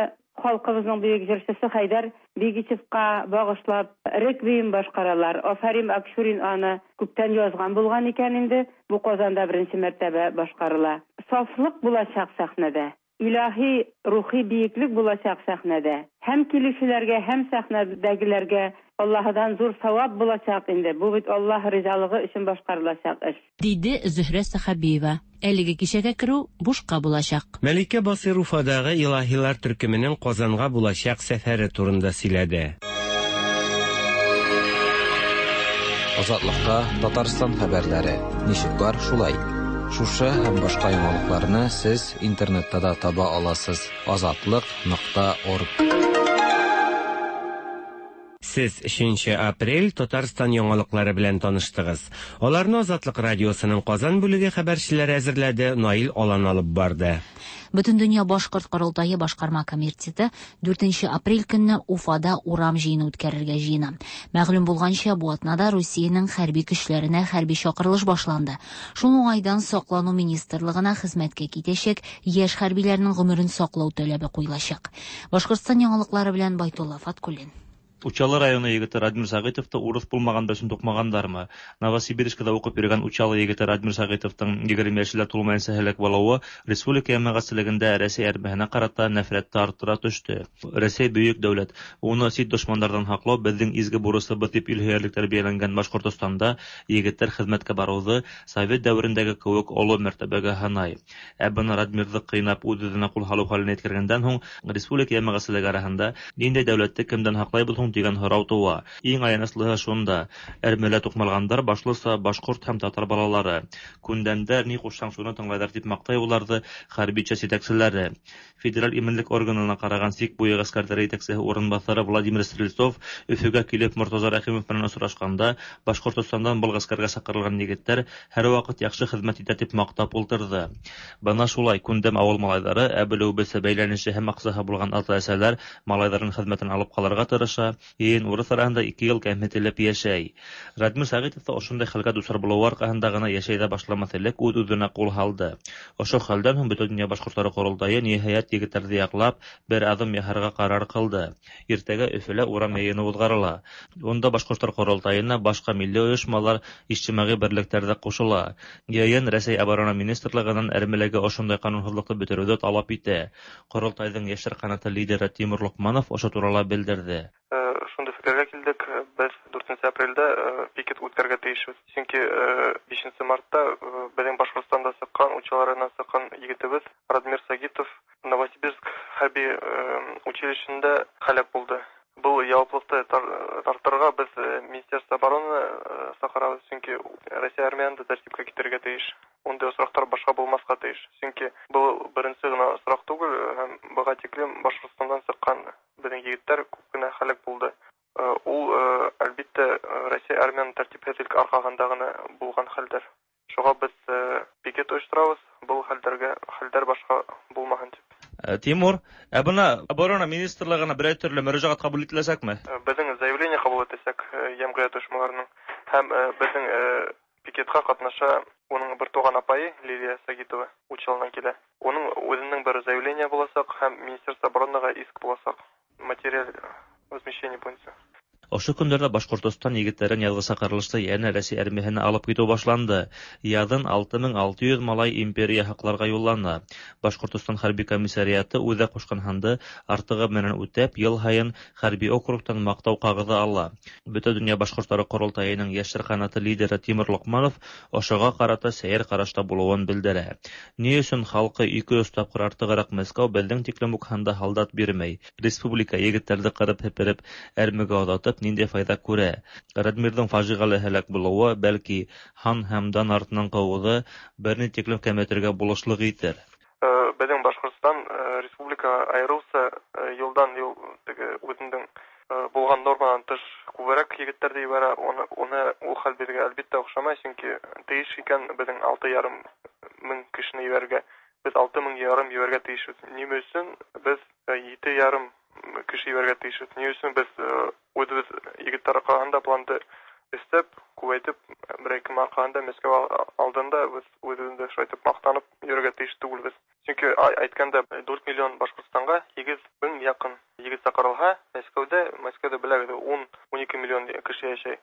халкыбызның бөек җырчысы Хәйдәр Бигичевка багышлап реквием башкаралар. Афәрим Акчурин аны күптән язган булган икән инде, бу Казанда беренче мәртәбә башкарыла. Сафлык булачак сәхнәдә. Илаһи рухи биеклек булачак сәхнәдә. Һәм килүчеләргә, һәм сәхнәдәгеләргә Аллаһыдан зур савап булачак инде, бу бит Аллаһ ризалыгы өчен башкарылачак эш. Диде Зөһрә Сәхәбиева. Әлеге кичәгә керү бушка булачак. Мәликә Басыйр Уфадагы Илаһилар төркеменең Казанга булачак сәфәре турында сөйләде. Азатлыкта Татарстан хәбәрләре. Ничек бар, шулай. Шушы һәм башка яңалыкларны сез интернетта да таба аласыз. Азатлык нокта орг. Сез өченче апрель Татарстан яңалыклары белән таныштыгыз. Аларны Азатлык радиосының Казан бүлеге хәбәрчеләре әзерләде, Наил Алан алып барды. Бөтендөнья башкорт корылтае башкарма комитеты 4 апрель көнне Уфада урам җыены үткәрергә җыена. Мәгълүм булганча, бу атнада Русиянең хәрби көчләренә хәрби чакырылыш башланды. Шул уңайдан Саклану министрлыгына хезмәткә китәчәк яшь хәрбиләрнең гомерен саклау таләбе куелачак. Башкортстан яңалыклары белән Байтулла Фаткуллин. Учалы районы егете Радмир Сәгыйтовты урыс булмаган өчен тукмагандармы? Новосибирскида укып йөргән Учалы егете Радмир Сәгыйтовтың 20 яше дә тулмаенча һәлак булуы республика җәмәгатьчелегендә Рәсәй әрмәһенә карата нәфрәтте арттыра төште. Рәсәй бөек дәүләт, уны чит дошманнардан һаклау безнең изге бурысыбыз дип илһөярлек тәрбияләнгән Башкортостанда егетләр хезмәткә баруды совет дәверендәге кебек олы мәртәбәгә һанай. Ә быны Радмирҙы ҡыйнап үҙ-үҙенә ҡул һалыу хәленә еткергәндән һуң республика йәмәғәтселеге араһында ниндәй дәүләтте кемдән һаҡлайбыҙ һуң тигән һорау тыуа. Иң аяныслыһы шунда: әрмелә туҡмалғандар башлыса башҡорт һәм татар балалары. Күндәмдәр, ни ҡушһаң шуны тыңлайҙар тип маҡтай уларҙы хәрби часть етәкселәре. Федераль именлек органына ҡараған сик буйы ғәскәрҙәре етәксеһе урынбаҫары Владимир Стрельцов Өфөгә килеп Мортаза Рәхимов менән осрашҡанда Башҡортостандан был ғәскәргә саҡырылған егеттәр һәр ваҡыт яҡшы хеҙмәт итә тип маҡтап ултырҙы. Бына шулай күндәм ауыл малайҙары, ә белеүебеҙсә бәйләнеше һәм аҡсаһы булған ата-әсәләр малайҙарын хеҙмәтен алып ҡалырға тырыша, йыйын урыҫ араһында 2 йыл кәмһетелеп йәшәй. Радмир Сәғитов та ошондай хәлгә дусар булыуы арҡаһында ғына йәшәй ҙә башламаҫ элек үҙ-үҙенә ҡул һалды. Ошо хәлдән һуң Бөтә донъя башҡорттары ҡоролтайы ниһайәт егеттәрҙе яҡлап, бер аҙым яһарға ҡарар ҡылды. Иртәгә Өфөлә урам йыйыны уҙғарыла. Унда башҡорттар ҡоролтайына башҡа милли ойошмалар, ижтимағи берлектәр ҙә ҡушыла. Йыйын Рәсәй оборона министрлығынан әрмеләге ошондай ҡанунһыҙлыҡты бөтөрөүҙе талап итә. Ҡоролтайҙың йәштәр ҡанаты лидеры Тимур Лоҡманов ошо турала белдерҙе. Шундый фикергә килдек, без 4 апрельдә пикет үткәрергә тиешбез. Чөнки 5 мартта безнең Башкортстанда чыккан, Учалы районыннан чыккан егетебез Радмир Сагитов Новосибирск хәрби училищесында һәлак булды. Бу яваплылыкны тартырга без Министерство обороны чакырабыз, чөнки Россия армияне дә тәртипкә китерергә тиеш. Мондый очраклар башка булмаска тиеш. Чөнки бу беренче генә очрак түгел, һәм быга тиклем Башкортстаннан чыккан безнең егетләр күп кенә һәлак булды. Ул, әлбиттә, Россия армияның тәртипсезлек аркагында гына булган хәлдер. Шуңа без пикет оештырабыз, был хәлдәргә хәлдәр башка булмаһын дип. Тимур, ә бына оборона министрлыгына берәр төрле мөрәҗәгать кабул ителәчәкме? Безнең заявление кабул итәчәк җәмгыять оешмаларының һәм безнең пикетка катнаша уның бертуган апае Лилия Сагитова Учалыдан килә. Уның үзенең бер заявление булачак һәм Министерство оборонага иск булачак материаль возмещение буенча. Ошо көндәрдә Башкортостан егетләрен язгы чакырылышта янә Рәсәй армияһенә алып китү башланды. Язын 6600 малай империя һакларга юллана. Башкортостан хәрби комиссариаты үзе кушкан һанды артыгы менән үтәп, ел һайын хәрби округтан мактау кагызы ала. Бөтендөнья башкортлары корылтаеның яшьләр канаты лидеры Тимур Локманов ошога карата сәер карашта булуын белдерә. Ни өчен халкы 200 тапкыр артыграк Мәскәү безнең тиклем үк һанда һалдат бирмәй? Республика егетләрне кырып һепереп әрмегә озатып нинди файда күрә? Радмирның фаҗигале һәлак булуы, бәлки, һан һәм дан артыннан кууы берни тиклем кәметергә булышлык итер. Безнең Башкортстан республика аерылса елдан-ел теге үзенең булган нормадан тыш күбрәк егетләр дә җибәрә. Оны, оны ул хәл безгә әлбиттә охшамай, чөнки тиеш икән безнең 6,5 мең кешене җибәрергә. Без 6,5 җибәрергә тиешбез. Ни өчен без 7,5 кеше җибәрергә тиешбез? Ни өчен без үзебез егетләр аркасында планды өстәп, күбәйтеп, бер-ике аркасында Мәскәү алдында без үзебезне шулай итеп мактанып йөрергә тиеш түгелбез. Чөнки әйткәндә 4 миллион Башкортстанга 8 мең якын егет чакырылһа, Мәскәүдә, Мәскәүдә беләгез, 10-12 миллион кеше яшәй.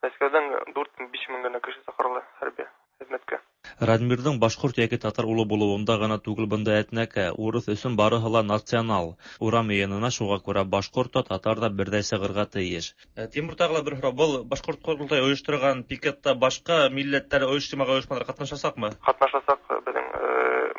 Мәскәүдән 4-5 мең генә кеше чакырыла хәрби хезмәткә. Радмирның башкорт яки татар улы булуында гына түгел бында әтнәкә, урыс өчен барыһы ла национал. Урам йыйынына шуңа күрә башкорт та, татар да бердәй чыгырга тиеш. Тимур, тагы ла бер һорау. Был башкорт корылтай оештырган пикетта башка милләтләр, оештырмаган оешмалар катнашачакмы? Катнашачак безнең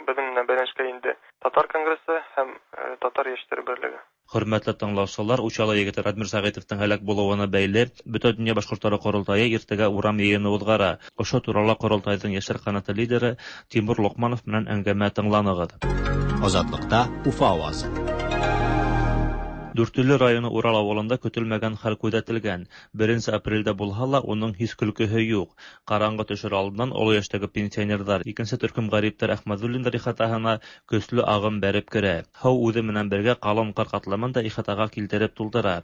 безнең белән бәйләнешкә инде Татар конгрессы һәм Татар яшьләре берлеге. Хөрмәтле тыңлаучылар, Учалы егете Радмир Сәгыйтовның һәлак булуына бәйле Бөтендөнья башкортлары корылтае иртәгә урам йыены уҙғара. Ошо турала корылтайҙың яшьләр канаты лидеры Тимур Локманов менән әңгәмә тыңланыгыҙ. Азатлыкта Уфа авазы. Дүртөйлө районы Урал авылында көтөлмәгән хәл күҙәтелгән. 1 апрельдә булһа ла, уның һис көлкөһө юҡ. Ҡараңғы төшөр алдынан оло йәштәге пенсионерҙар, икенсе төркөм ғәриптәр Әхмәҙуллиндар ихатаһына көслө ағым бәреп керә. Һыу үҙе менән бергә ҡалын ҡар ҡатламын да ихатаға килтереп тултыра.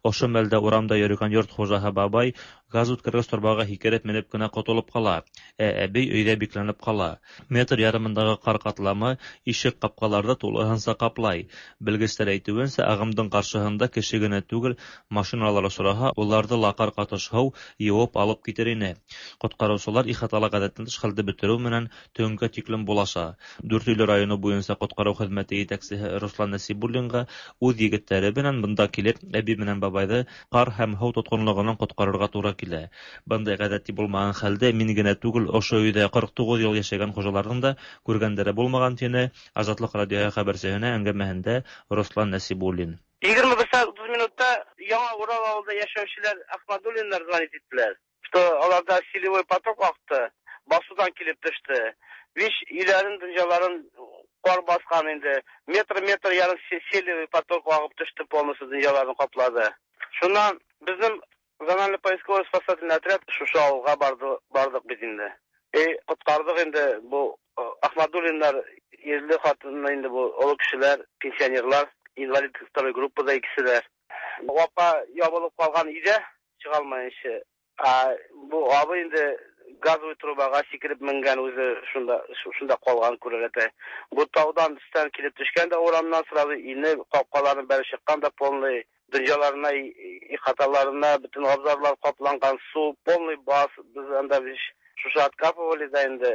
Ошо мәлдә урамда йөрөгән йорт хужаһы бабай газ үткәргес торбаға һикереп менеп кенә ҡотолоп ҡала, ә әбей өйҙә бикләнеп ҡала. Метр ярымындағы ҡар ҡатламы ишек ҡапҡаларҙы тулыһынса ҡаплай. Белгестәр әйтеүенсә, ағымдың ҡаршыһында кеше генә түгел, машиналар осраһа, уларҙы ла ҡар ҡатыш һыу йыуып алып китер ине. Ҡотҡарыусылар ихатала ғәҙәттән тыш хәлде бөтөрөү менән төнгә тиклем булаша. Дүртөйлө районы буйынса ҡотҡарыу хеҙмәте етәксеһе Руслан Нәсибуллинға үҙ егеттәре менән бында килеп, әбей менән бабайҙы ҡар һәм һыу тотҡонлоғонан ҡотҡарырға тура килә. Бындай ғәҙәти булмаған хәлде мин генә түгел, ошо өйҙә 49 йыл йәшәгән хужаларҙың да күргәндәре булмаған, тине Азатлыҡ радиоһы хәбәрсеһенә әңгәмәһендә Руслан Нәсибуллин. 21 сәғәт 30 минутта Яңа Урал ауылында йәшәүселәр Ахмадуллиндар звонить иттеләр, что аларда селевой поток аҡты, басыуҙан килеп төштө. Виш өйләрен, донъяларын ҡар баҫҡан инде. Метр-метр ярым селевой поток ағып төштө, полностью донъяларын ҡаплады. Шунан беҙҙең зональный поисковый спасательный отряд шушы ауылға барҙыҡ бит инде. Ҡотҡарҙыҡ инде был Ахмадуллиндар ирле ҡатыны инде, был оло кешеләр, пенсионерлар, инвалид второй группада икесе дә. Апа ябылып ҡалған өйҙә, сыға алмайынса. А бу абый инде газовый трубаға сикереп менгән, үҙе шунда ҡалған күрәләтә. Бу тауҙан өҫтән килеп төшкән дә урамнан сразу инеп, ҡапҡаларын бәреп сыҡҡан да полный донъяларына, ихаталарына бөтөн абзарлар ҡапланған, сыу полный бас. Беҙ анда шушы откапывали да инде,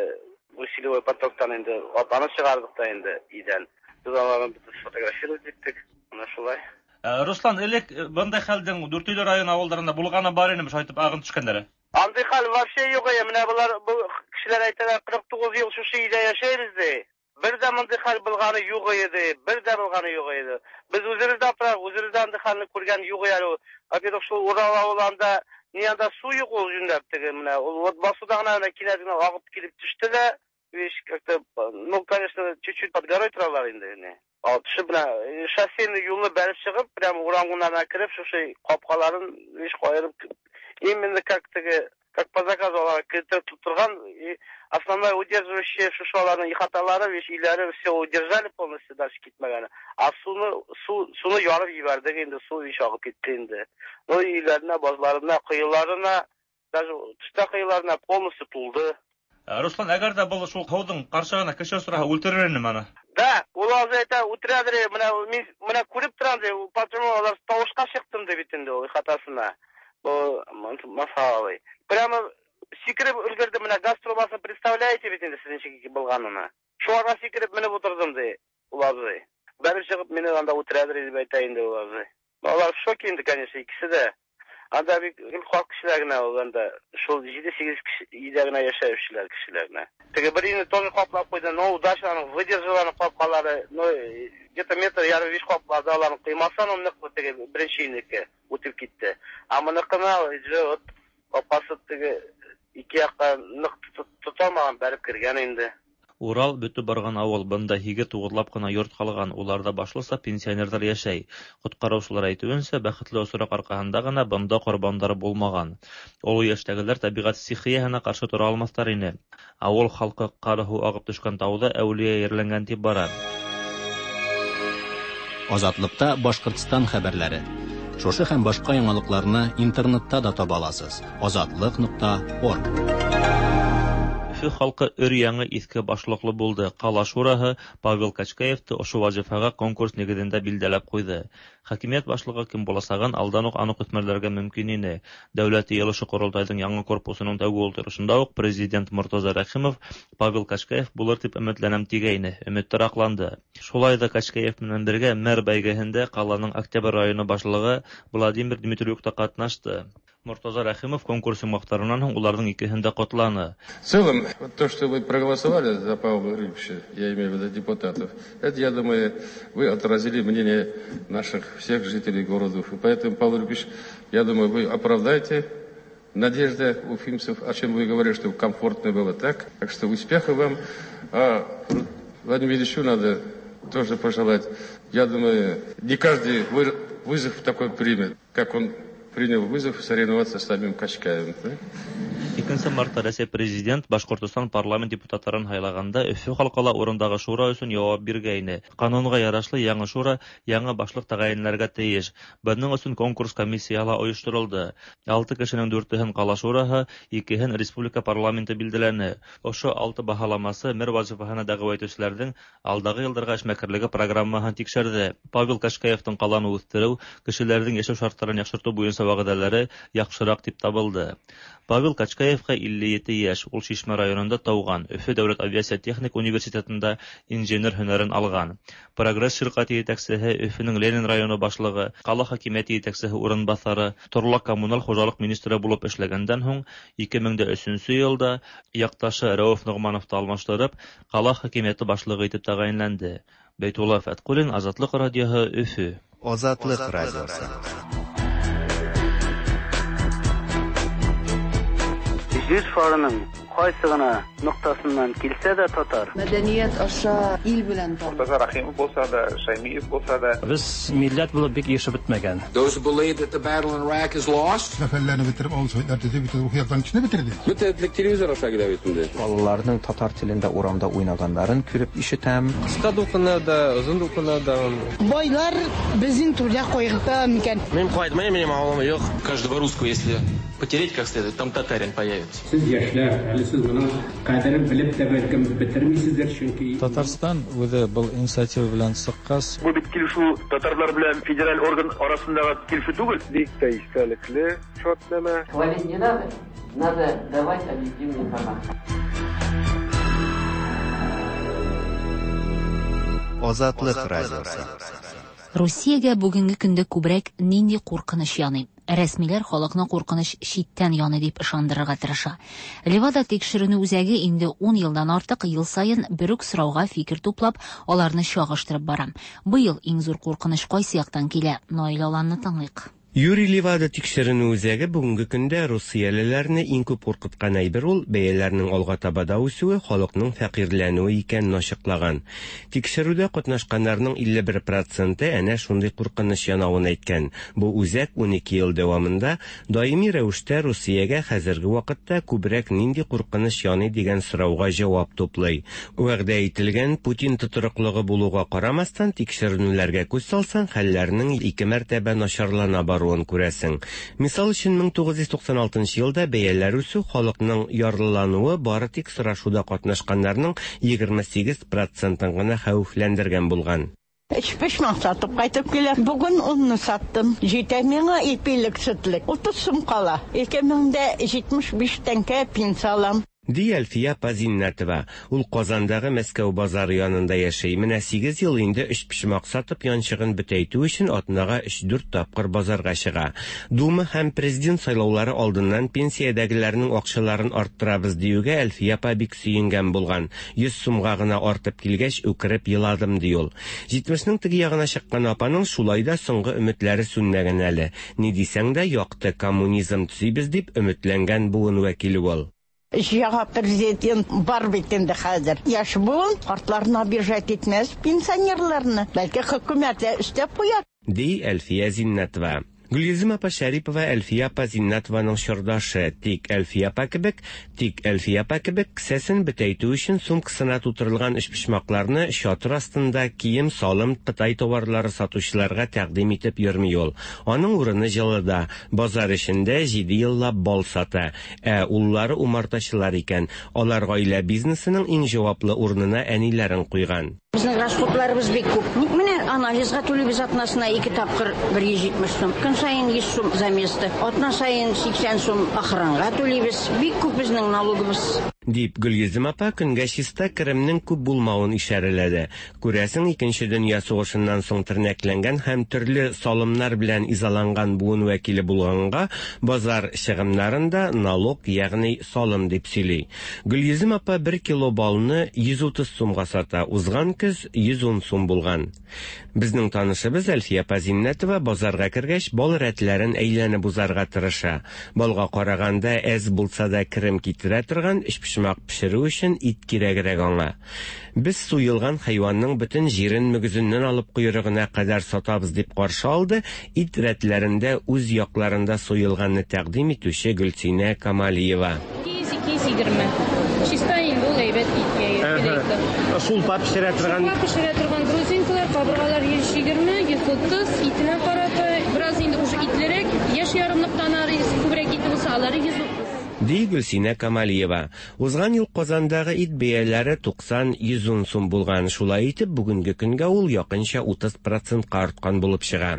усилевой потоктан инде апаны сығарҙыҡ та инде өйҙән. Беҙ аларны бөтөн сфотографировать иттек. Ана шулай. Руслан, элек бындай хәлдең Дүртөйле районы авылларында булганы бар инеме, шулай итеп агын төшкәннәре? Андый хәл вообще юк ие. Менә болар, бу кешеләр әйтәләр, 49 ел шушы өйдә яшәйбез, ди. Бер дә мондый хәл булганы юк ие, ди. Бер дә булганы юк иде. Без үзебез дә аптырап, үзебез дә андый хәлне күргән юк әле ул. Во-первых, шул Урал авылы анда, ни анда су юк ул юньләп теге менә. Ул вот басуда гына менә кинәт генә агып килеп төште дә, видишь, как-то, ну, конечно, чуть-чуть под горой торалар инде. Не. Ал төшеп менә шоссейный юлны бәреп чыгып, прямо урамнарына кереп, шушы капкаларын, видишь, каерып, именно как теге, как по заказу алар кертеп торган, и основная удерживающая шушы аларның ихаталары, видишь, өйләре все удержали полностью, дальше китмәгәне. А суны, су, суны ярып җибәрдек инде, су видишь, агып китте инде. Ну, өйләренә, базларына, коеларына, даже төштә коеларына полностью тулды. Руслан, әгәр дә был шул һыуҙың ҡаршыһына кеше осраһа, үлтерер инеме аны? Да, ул азы әйтә, үтерәдер, менә мин менә күреп торам ди, почему алар тавышка чыктым ди бит инде ул ихатасына. Бу Масалый. Прямо сикереп өлгерде, менә газ трубасын представляете бит инде сез ничек булганын. Шуңарга сикереп менеп утырдым ди ул абзый. Бәреп чыгып мине анда үтерәдер дип әйтә инде ул абзый. Алар в шоке инде, конечно, икесе дә. Анда бик гел карт кешеләр генә ул анда. Шул 7-8 кеше өйдә генә яшәүчеләр кешеләр генә. Теге бер өйне тоже каплап куйды, но удачно аның выдержал аның капкалары, но где-то метр ярым биш каплады аларның коймасы аның ныклы теге беренче өйнеке үтеп китте. А моныкына уже вот капкасы теге ике якка нык тоталмаган, бәреп кергән инде. Урал бөтеп барган авыл. Бында һигеҙ-туғыҙлап ҡына йорт ҡалған. Уларҙа башлыса пенсионерҙар йәшәй. Ҡотҡарыусылар әйтеүенсә, бәхетле осраҡ арҡаһында ғына бында ҡорбандар булмаған. Оло йәштәгеләр тәбиғәт стихияһына ҡаршы тора алмаҫтар ине. Ауыл халҡы ҡар һыу ағып төшкән тауҙа әүлиә ерләнгән тип бара. Азатлыкта Башкортстан хәбәрләре. Шушы һәм башка яңалыкларны интернетта да таба аласыз. Азатлык.орг. Өфө халҡы өр-яңы иҫке башлыҡлы булды. Ҡала шураһы Павел Качкаевты ошо вазифаға конкурс нигеҙендә билдәләп ҡуйды. Хакимиәт башлығы кем буласағын алдан уҡ аныҡ үҫмерләргә мөмкин ине. Дәүләт йыйылышы ҡоролтайҙың яңы корпусының тәүге ултырышында уҡ президент Мортаза Рәхимов Павел Качкаев булыр тип өмөтләнәм тигәйне. Өмөттәр аҡланды. Шулай ҙа Качкаев менән бергә мэр бәйгеһендә ҡаланың Октябрь районы башлығы Владимир Дмитриюк та ҡатнашты. Мортаза Рәхимов конкурс йомғаҡтарынан һуң уларҙың икеһен дә ҡотланы. В целом, вот то, что вы проголосовали за Павла Рыбча, я имею в виду депутатов, это, я думаю, вы отразили мнение наших всех жителей города Уфы. Поэтому, Павел Рыбич, я думаю, вы оправдаете надежды уфимцев, о чем вы говорили, чтобы комфортно было так. Так что успехов вам. А Владимиру Ильичу надо тоже пожелать. Я думаю, не каждый вызов такой примет, как он принял вызов соревноваться с самим Качкаевым. Да? 2 мартта Рәсәй президент Башҡортостан парламент депутаттарын һайлағанда Өфө халҡы ла урындағы шура өсөн яуап биргәйне. Ҡанунға ярашлы яңы шура яңы башлыҡ тәғәйенләргә тейеш. Бының өсөн конкурс комиссияһы ла ойошторолдо. 6 кешенең 4-һен ҡала шураһы, 2-һен республика парламенты билдәләне. Ошо 6 баһаламасы мэр вазифаһына дәғүә итеүселәрҙең алдағы йылдарға эшмәкәрлеге программаһын тикшерҙе. Павел Кашкаевтың ҡаланы үҫтереү, кешеләрҙең йәшәү шарттарын яҡшыртыу буйынса вәғәҙәләре яҡшыраҡ тип табылды. Павел Качкаевҡа 57 йәш, ул Шишмә районында тыуған, Өфө дәүләт авиация техник университетында инженер һөнәрен алған. Прогресс ширҡәте етәксеһе, Өфөнөң Ленин районы башлығы, ҡала хакимиәте етәксеһе урынбаҫары, торлаҡ коммуналь хужалыҡ министры булып эшләгәндән һуң 2003 йылда яҡташы Рәүеф Ноғмановты алмаштырып, ҡала хакимиәте башлығы итеп тәғәйенләнде. Бәйтулла Фәтҡуллин, Азатлыҡ радиоһы, Өфө. Азатлыҡ радиоһы. Җир шарының кайсы гына ноктасыннан килсә дә татар. Мәдәният аша ил белән танып. Мортаза Рәхимов булса да, Шаймиев булса да. Без милләт булып бик ешеп бетмәгән. Those who believe that the battle in Iraq is lost. Зафәрләрне бетереп, авыл советлар төзеп, бөтен рухи яктан кешене бетерде. Бөтен этлек телевизор аша килә бит инде. Балаларның татар телендә урамда уйнаганнарын күреп ишетәм. Кыска дулкыннарда, озын дулкыннарда. Байлар безнең түрдә кайгырта микән? Мин кайтмыйм, минем авылым юк. Каждого русского, если потереть как следует, там татарин появится. Сез яшьләр, әле сез моның кадерен белеп тә бәлкем бетермисездер, чөнки Татарстан үзе был инициатива белән чыккач. Бу бит килешү татарлар белән федераль орган арасындагы килешү түгел. Бик тә истәлекле шартнамә. Хвалить не надо, надо давать объективную информацию. Азатлык радиосы. Русиягә бүгенге көндә күбрәк нинди куркыныч яный? Рәсмиләр халыкны куркыныч читтән яный дип ышандырырга тырыша. Левада тикшеренү үзәге инде ун елдан артык ел саен бер үк сорауга фикер туплап, аларны чагыштырып бара. Быел иң зур куркыныч кайсы яктан килә? Наил Аланны тыңлыйк. Юрий Левада тикшеренү үзәге бүгенге көндә русиялеләрне иң күп куркыткан әйбер ул бәяләрнең алга таба да үсүе, халыкның фәкыйрьләнүе икәнен ачыклаган. Тикшерүдә катнашканнарның 51 проценты әнә шундый куркыныч янавын әйткән. Бу үзәк 12 ел дәвамында даими рәвештә Русиягә хәзерге вакытта күбрәк нинди куркыныч яный дигән сорауга җавап туплый. Вәгъдә ителгән Путин тотрыклыгы булуга карамастан, тикшеренүләргә күз салсаң, хәлләрнең ике мәртәбә начарлана баруын күрәсең. Мисал өчен, 1996 елда бәяләр үсү, халыкның ярлылануы бары тик сорашуда катнашканнарның 28 процентын гына хәвефләндергән булган. Өчпочмак сатып кайтып киләм. Бүген онны саттым. Җитә миңа ипилек, сөтлек. 30 сум кала. 2075 тәңкә пенсия алам. Ди Әлфия апа Зиннәтова. Ул Казандагы Мәскәү базары янында яши. Менә сигез ел инде өчпочмак сатып янчыгын бөтәйтү өчен атнага өч-дүрт тапкыр базарга чыга. Дума һәм президент сайлаулары алдыннан пенсиядәгеләрнең акчаларын арттырабыз диюгә Әлфия апа бик сөенгән булган. 100 сумга гына артып килгәч, үкереп еладым, ди ул. Җитмешнең теге ягына чыккан апаның шулай да соңгы өметләре сүнмәгән әле. Ни дисәң дә, якты коммунизм төзибез дип өметләнгән буын вәкиле ул. Яңа президент бар бит инде хәзер. Яшь буын картларны обижать итмәс, пенсионерларны. Бәлки хөкүмәт тә өстәп куяр. Ди Әлфия Зиннәтова. Гөлйөзем апа Шәрипова Әлфия апа Зиннәтованың чордашы. Тик Әлфия апа кебек, тик Әлфия апа кебек кесәсен бөтәйтү өчен сумкасына тутырылган өчпочмакларны чатыр астында кием-салым, кытай товарлары сатучыларга тәкъдим итеп йөрми ул. Аның урыны җылыда, базар эчендә җиде еллап бал сата. Ә уллары умартачылар икән. Алар гаилә бизнесының иң җаваплы урынына әниләрен куйган. Безнең расходларыбыз бик күп. Ник менә анализга түлибез атнасына ике тапкыр 170 сум. Көн саен 100 сум за место. Атна саен 80 сум охранга түлибез. Бик күп безнең налогыбыз. Дип, Гөлйөзем апа көнгә чиста керемнең күп булмавын ишарәләде. Күрәсең, Икенче дөнья сугышыннан соң тернәкләнгән һәм төрле салымнар белән изаланган буын вәкиле булганга, базар чыгымнарын да налог, ягъни салым дип сөйли. Гөлйөзем апа бер кило балны 130 сумга сата, узган көз 110 сум булган. Безнең танышыбыз Әлфия апа Зиннәтова базарга кергәч, бал рәтләрен әйләнеп узарга тырыша. Балга караганда әз булса да керем китерә торган өчпочмак пешерү өчен ит кирәгрәк аңа. Без суелган хайванның бөтен җирен мөгезеннән алып койрыгына кадәр сатабыз, дип каршы алды ит рәтләрендә үз якларында суелганны тәкъдим итүче Гөлсинә Камалиева. 200, 220. Чиста инде ул әйбәт иткә кирәкле. Шулпа пешерә торган. Шулпа пешерә торган грузинкалар, кабыргалар 120, 130, итенә карата бераз инде уже итлерәк, яшь ярымлыктан ары күбрәк ите булса, алары 130. Ди Гөлсинә Камалиева. Узган ел Казандагы ит бәяләре 90-110 сум булган. Шулай итеп, бүгенге көнгә ул якынча 30 процентка арткан булып чыга.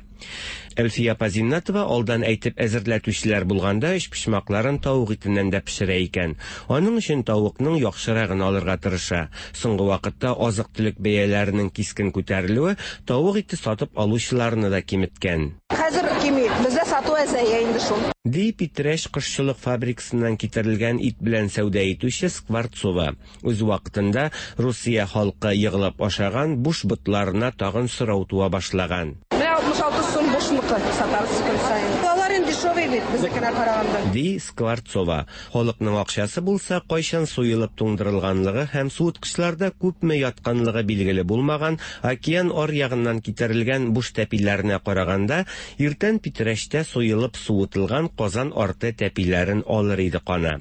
Әлфия апа Зиннәтова алдан әйтеп әзерләтүчеләр булганда өчпочмакларын тавык итеннән дә пешерә икән. Аның өчен тавыкның яхшырагын алырга тырыша. Соңгы вакытта азык-төлек бәяләренең кискен күтәрелүе тавык ите сатып алучыларны да киметкән. Хәзер кими, бездә сату әзәя инде шул. Ди Питрәч кошчылык фабрикасыннан китерелгән ит белән сәүдә итүче Скворцова. Үз вакытында Русия халкы егылып ашаган буш ботларына тагын сорау туа башлаган. Менә 66 сум бушныкы сатабыз көн саен. Алар инде дешевый бит, безнекенә караганда. Ди Скворцова. Халыкның акчасы булса, кайчан суелып туңдырылганлыгы һәм суыткычларда күпме ятканлыгы билгеле булмаган океан аръягыннан китерелгән буш тәпиләренә караганда, иртән Питрәчтә суелып суытылган Казан арты тәпиләрен алыр иде кана.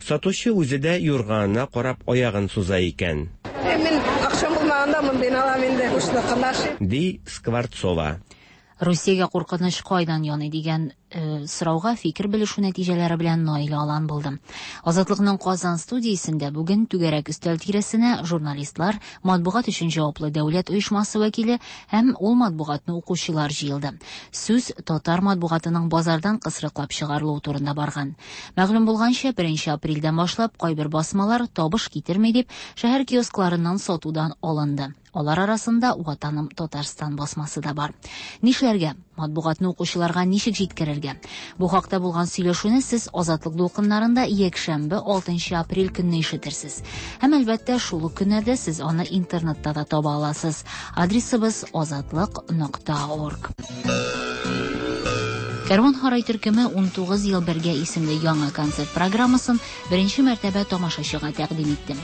Сатучы үзе дә юрганына карап аягын суза икән. Ә мин акчам булмаганда мондыйны алам инде, бушныкын ашыйм. Ди Скворцова. Русиягә куркыныч кайдан яный дигән сорауга фикер белешү нәтиҗәләре белән Наилә Алан булды. Азатлыкның Казан студиясендә бүген түгәрәк өстәл тирәсенә журналистлар, матбугат өчен җаваплы дәүләт оешмасы вәкиле һәм ул матбугатны укучылар җыелды. Сүз татар матбугатының базардан кысрыклап чыгарылуы турында барган. Мәгълүм булганча, 1 апрельдән башлап кайбер басмалар табыш китерми дип, шәһәр киоскларыннан сатудан алынды. Алар арасында Ватаным Татарстан басмасы да бар. Нишләргә? Матбугатны укучыларга ничек җиткерергә? Бу хакта булган сөйләшүне сез Азатлык дулкыннарында якшәмбе 6 апрель көнне ишетерсез. Һәм әлбәттә, шул ук көннәрдә сез аны интернетта да таба аласыз. Адресыбыз азатлык.орг. Кәрван Һарай төркеме 19 ел бергә исемле яңа концерт программасын беренче мәртәбә тамашачыга тәкъдим итте.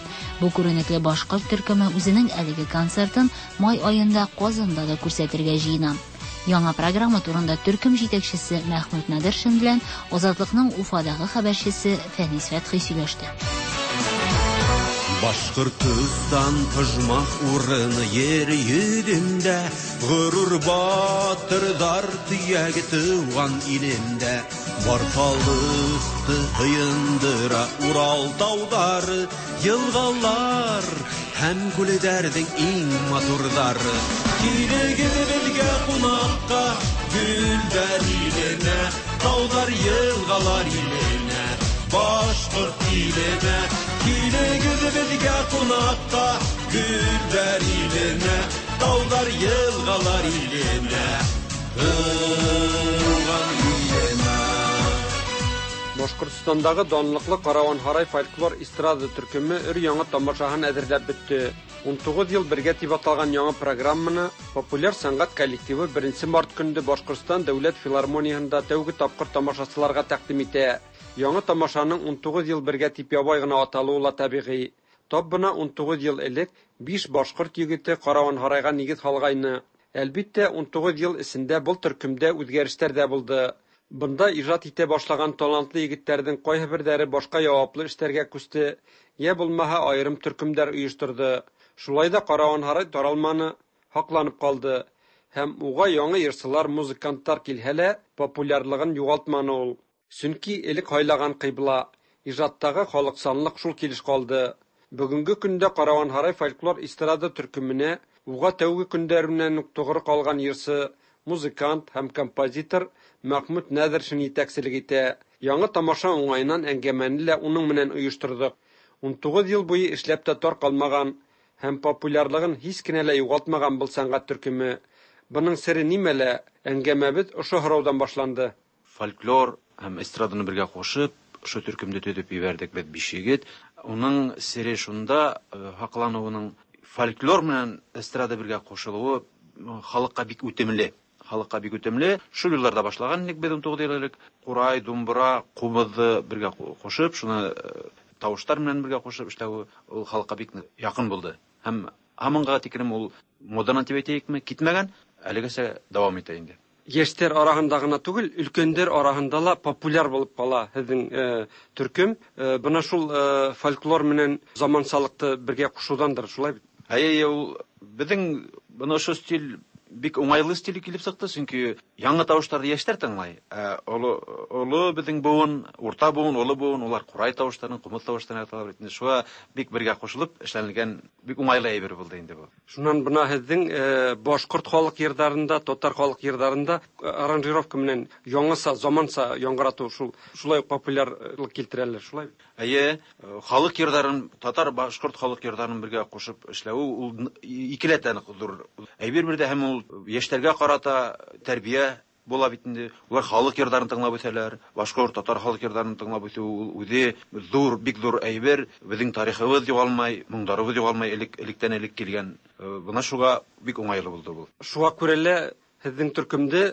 Бу күренекле башкорт төркеме үзенең әлеге концертын май аенда Казанда да күрсәтергә җыена. Яңа программа турында төркем җитәкчесе Мәхмүт Нәдершин белән Азатлыкның Уфадагы хәбәрчесе Фәнис Фәтхи сөйләште. Башкортстан оҗмах урыны ер йөзендә, Горур батырдар төяге туган илендә. Бар халыкты һыендыра Урал таулары, Елгалар һәм күлләрнең иң матурлары. Килегез безгә кунакка, гөлләр иленә, Таулар, елгалар иленә, Башкорт иленә. Килегез безгә кунакка, гөлләр иленә, Таулар, елгалар иленә, Туган иленә. Башкортстандагы данлыклы Каравон Һарай фольклор эстрада төркеме өр-яңа тамашаһын әзерләп бетте. 19 ел бергә дип аталган яңа программаны популяр сәнгать коллективы 1 март көнендә Башкортстан дәүләт филармониясендә тәүге тапкыр тамашачыларга тәкъдим итә. Яңа тамашаның 19 ел бергә дип ябай гына аталуы ла табигый. Тап бына 19 ел элек 5 башкорт егете Каравон Һарайга нигез салгайны. Әлбиттә, 19 ел эчендә был төркемдә үзгәрешләр дә булды. Бында ижат итә башлаган талантлы егетләрнең кайһыберләре башка яваплы эшләргә күчте, я булмаһа аерым төркемнәр оештырды. Шулай да Каравон Һарай таралманы, һакланып калды. Һәм уга яңа йырчылар, музыкантлар килһә лә, популярлыгын югалтманы ул. Чөнки элек һайлаган кыйбла, ижаттагы халыкчанлык шул килеш калды. Бүгенге көндә Каравон Һарай фольклор эстрада төркеменә уга тәүге көндәреннән үк тугры калган йырчы, музыкант һәм композитор Мәхмүт Нәдершин җитәкчелек итә. Яңа тамаша уңаеннан әңгәмәне лә уның менән оештырдык. 19 ел буе эшләп тә тар калмаган һәм популярлыгын һич кенә лә югалтмаган был сәнгать төркеме. Бының сере нимәлә? Әңгәмәбез ошо һораудан башланды. Фольклор һәм эстраданы бергә кушып, ошо төркемдә төзеп җибәрдек без 5 егет. Уның сере шунда, һаклануының фольклор менән эстрада бергә кушылуы халыкка бик үтемле. Халыкка бик үтемле. Шул елларда башлаган идек без 19 ел элек. Курай, думбра, кубызды бергә кушып, шуны тавышлар менән бергә кушып эшләү ул халыкка бик якын булды. Һәм һаманга тиклем ул модадан дип әйтәйекме, китмәгән, әлегәчә дәвам итә инде. Яшьләр арасында гына түгел, өлкәннәр арасында ла популяр булып кала һеҙҙең төркем. Бына шул фольклор менән замансалыкты бергә кушыуҙандыр, шулай бит? Әйе, ул беҙҙең бына ошо стиль бик уңайлы стиль килеп сыҡты, сөнки яңы тауыштарҙы йәштәр тыңлай. Ә оло беҙҙең быуын, урта быуын, оло быуын, улар ҡурай тауыштарын, ҡумыҙ тауыштарын яраталар бит инде. Шуға бик бергә ҡушылып эшләнелгән бик уңайлы әйбер булды инде бу. Шунан бына һеҙҙең башҡорт халыҡ йырҙарында, татар халыҡ йырҙарында аранжировка менән яңыса, заманса яңғыратыу шулай уҡ популярлыҡ килтерәләр, шулай бит? Әйе, халыҡ йырҙарын, татар, башҡорт халыҡ йырҙарын бергә ҡушып эшләү ул икеләтә ҙур әйбер бер дә, һәм ул йәштәргә ҡарата тәрбиә була бит инде. Улар халыҡ йырҙарын тыңлап үҫәләр, башҡорт, татар халыҡ йырҙарын тыңлап үҫеү ул үҙе ҙур, бик ҙур әйбер. Беҙҙең тарихыбыҙ юғалмай, моңдарыбыҙ юғалмай, электән элек килгән. Бына шуға бик уңайлы булды был. Шуға күрә лә һеҙҙең төркөмдө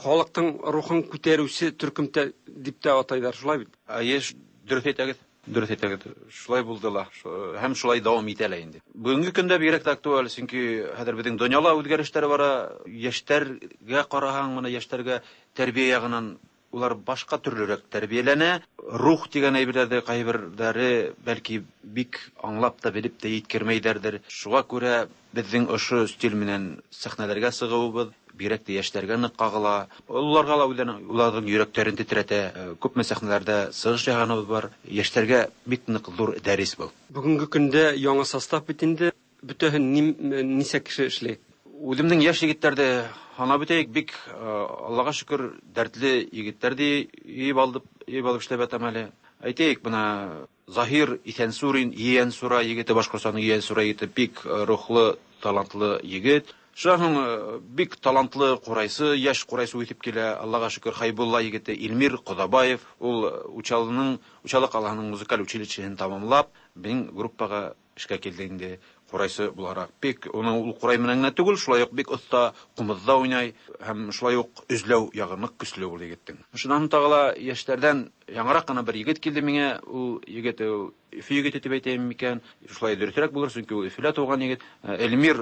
халыҡтың рухын күтәреүсе төркөм дип тә атайҙар, шулай бит? Әйе, дөрөҫ әйтәгеҙ. Дөрөҫ әйтәгеҙ. Шулай булды ла, һәм шулай дауам итә лә инде. Бөгөнгө көндә бигерәк тә актуаль, сөнки хәҙер беҙҙең донъяла үҙгәрештәр бара. Йәштәргә ҡараһаң, бына йәштәргә тәрбиә яғынан улар башҡа төрлөрәк тәрбиәләнә. Рух тигән әйберҙәрҙе ҡайберҙәре бәлки бик аңлап та белеп тә еткермәйҙәрҙер. Шуға күрә беҙҙең ошо стиль менән сәхнәләргә сығыуыбыҙ, Бигрәк тә яшьләргә нык кагыла. Олыларга ла үзенең уларның йөрәкләрен тетрәтә. Күпме сәхнәләрдә чыгыш ясаганыбыз бар. Яшьләргә бик нык зур дәрес был. Бүгенге көндә яңа состав бит инде. Бөтәһен ничә кеше эшли? Үземнең яшь егетләрдә санап үтәйек, бик Аллага шөкер, дәртле егетләр ди йыйып алдып, йыйып алып эшләп ятам әле. Әйтәйек, менә Заһир Исәнсурин, Иәнсура егете, Башкортстанның Иәнсура егете, бик рухлы, талантлы егет. Шуннан соң бик талантлы курайсы, яшь курайсы үсеп килә, Аллага шөкер, Хайбулла егете Илмир Кодабаев, ул Учалының, Учалы калаһының музыкаль училищеһын тәмамлап, безнең группага эшкә килде инде курайсы буларак. Бик уның ул курай белән генә түгел, шулай ук бик оста кумызда уйнай һәм шулай ук өзләү ягы нык көчле ул егетнең. Шуннан тагы ла яшьләрдән яңарак кына бер егет килде миңа, ул егет ул Өфе егете дип әйтәем микән? Шулай дөресрәк булыр, чөнки ул Өфелә туган егет. Эльмир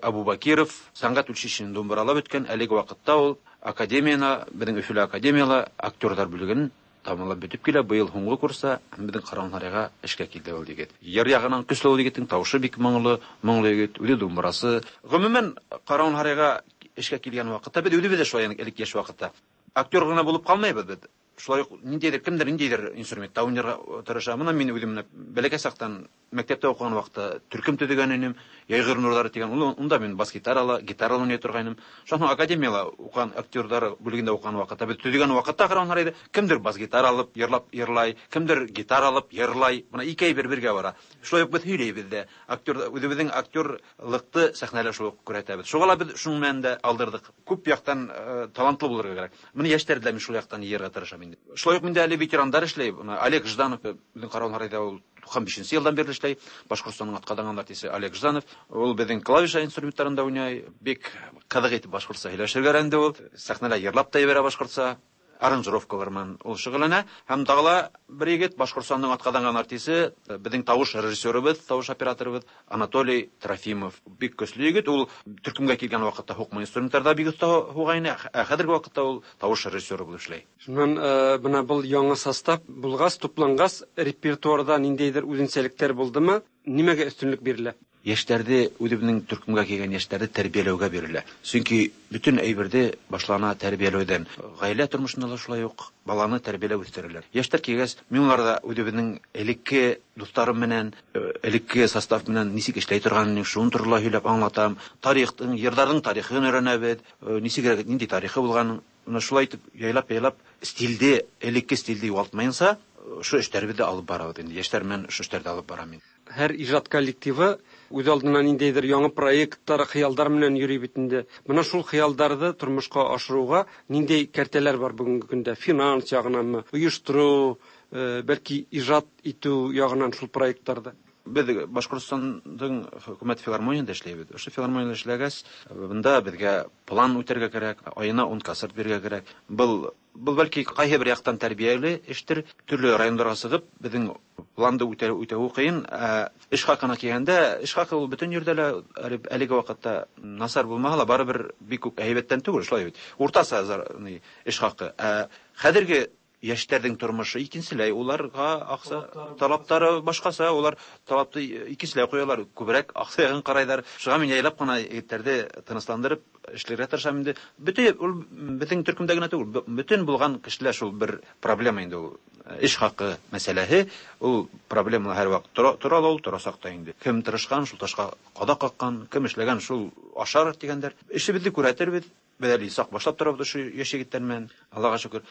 Абубакиров сәнгать училищесын думбыралап үткән, әлеге вакытта ул академияна, безнең Өфелә академияла актерлар бүлеген тәмамлап бетеп килә, быел һуңгы курста һәм безнең Каравон-Һарайга эшкә килде ул егет. Йыр ягынан көчле ул егетнең, тавышы бик моңлы, моңлы егет, үзе думбырасы. Гомумән, Каравон-Һарайга эшкә килгән вакытта без үзебез дә шулай элек яшь вакытта актер гына булып калмыйбыз без. Шулай ук ниндидер кемдер ниндидер инструментта уйнарга тырыша. Моны мин үзем бәләкәй чактан мәктәптә укыган вакытта төркем төзегән идем. Яйгыр нурлары дигән. Ул унда мин бас гитарала, гитарала уйный торган идем. Шуннан академияла укыган актерлар бүлегендә укыган вакытта без төзегән вакытта караганнар иде. Кемдер бас гитара алып йырлап йырлай, кемдер гитара алып йырлай. Менә ике әйбер бергә бара. Шулай ук без һөйләйбез дә. Актер үзебезнең актерлыкты сәхнәдә шулай ук күрәтәбез. Шуңа ла без шуның белән дә алдырдык. Күп яктан талантлы булырга кирәк. Менә яшьләрне дә мин шул яктан йыярга тырышам инде. Шулай ук миндә әле ветерандар эшләй. Менә Олег Жданов безнең Каравон-Һарайда ул 95 елдан бирле эшләй. Башкортстанның атказанган артисты Олег Жданов. Ул безнең клавиша инструментларында уйный. Бик кызык итеп башкортча сөйләшергә өйрәнде ул. Сәхнәдә йырлап та җибәрә башкортча. Аранжировкалар белән ул шөгыльләнә. Һәм тагы ла бер егет, Башкортстанның атказанган артисты, безнең тавыш режиссерыбыз, тавыш операторыбыз Анатолий Трофимов. Бик көчле егет. Ул төркемгә килгән вакытта һукма инструментларда бик оста һуга иде. Ә хәзерге вакытта ул тавыш режиссеры булып эшләй. Шуннан менә был яңа состав булгач, туплангач, репертуарда ниндәйдер үзенчәлекләр булдымы? Нимәгә өстенлек бирелә? Яшьләрде, үзебезнең төркемгә килгән яшьләрне тәрбияләүгә бирелә. Чөнки бөтен әйберде башлана тәрбияләүдән. Гаилә тормышында да шулай ук баланы тәрбияләп үстерәләр. Яшьләр килгәч, мин уларда үзебезнең элекке дусларым белән, элекке состав белән ничек эшләй торганын, шуны турында һөйләп аңлатам. Тарихның, йырларның тарихын өйрәнәбез, ничегрәк, нинди тарихы булганын. Менә шулай итеп, яйлап-яйлап стильде, элекке стильде югалтмаенча, шу эшләребезне алып барабыз инде. Яшьләр белән шу эшләрне алып барам мин. Һәр иҗат коллективы үз алдына ниндәйдер яңа проектлар, хыялдар белән йөри бит инде. Менә шул хыялдарны тормышка ашыруга ниндәй кәртәләр бар бүгенге көндә? Финанс ягынанмы, оештыру, бәлки иҗат итү ягынан шул проектларда? Без Башкортстанның хөкүмәт филармонияндә эшләйбез. Ошо филармонияндә эшләгәч, бында безгә план үтәргә кирәк, аена 10 концерт бирергә кирәк. Был Был бәлки кайһы бер яктан тәрбияле эштер. Төрле районнарга чыгып, безнең планды үтәү кыен. Ә эш хакына килгәндә, эш хакы ул бөтен җирдә лә әлеге вакытта насар булмаса ла, барыбер бик үк әйбәттән түгел, шулай бит. Уртача эш хакы. Ә хәзерге яшьләрнең тормышы икенчеләй, уларга акча талаплары башкача, улар талапты икенчеләй куялар, күбрәк акча ягын карайлар. Шуңа мин яйлап кына егетләрне тынычландырып эшләргә тырышам инде. Бөтен ул бөтен төркемдә генә түгел, бөтен булган кешеләр шул бер проблема инде ул. Эш хакы мәсьәләһе, ул проблема һәрвакыт тора, тора ла ул, торасак та инде. Кем тырышкан, шул ташка кадак каккан, кем эшләгән, шул ашар дигәндәр. Эшебезне күрәтербез. Без әле сак башлап торабыз шул яшь егетләр белән, Аллага шөкер.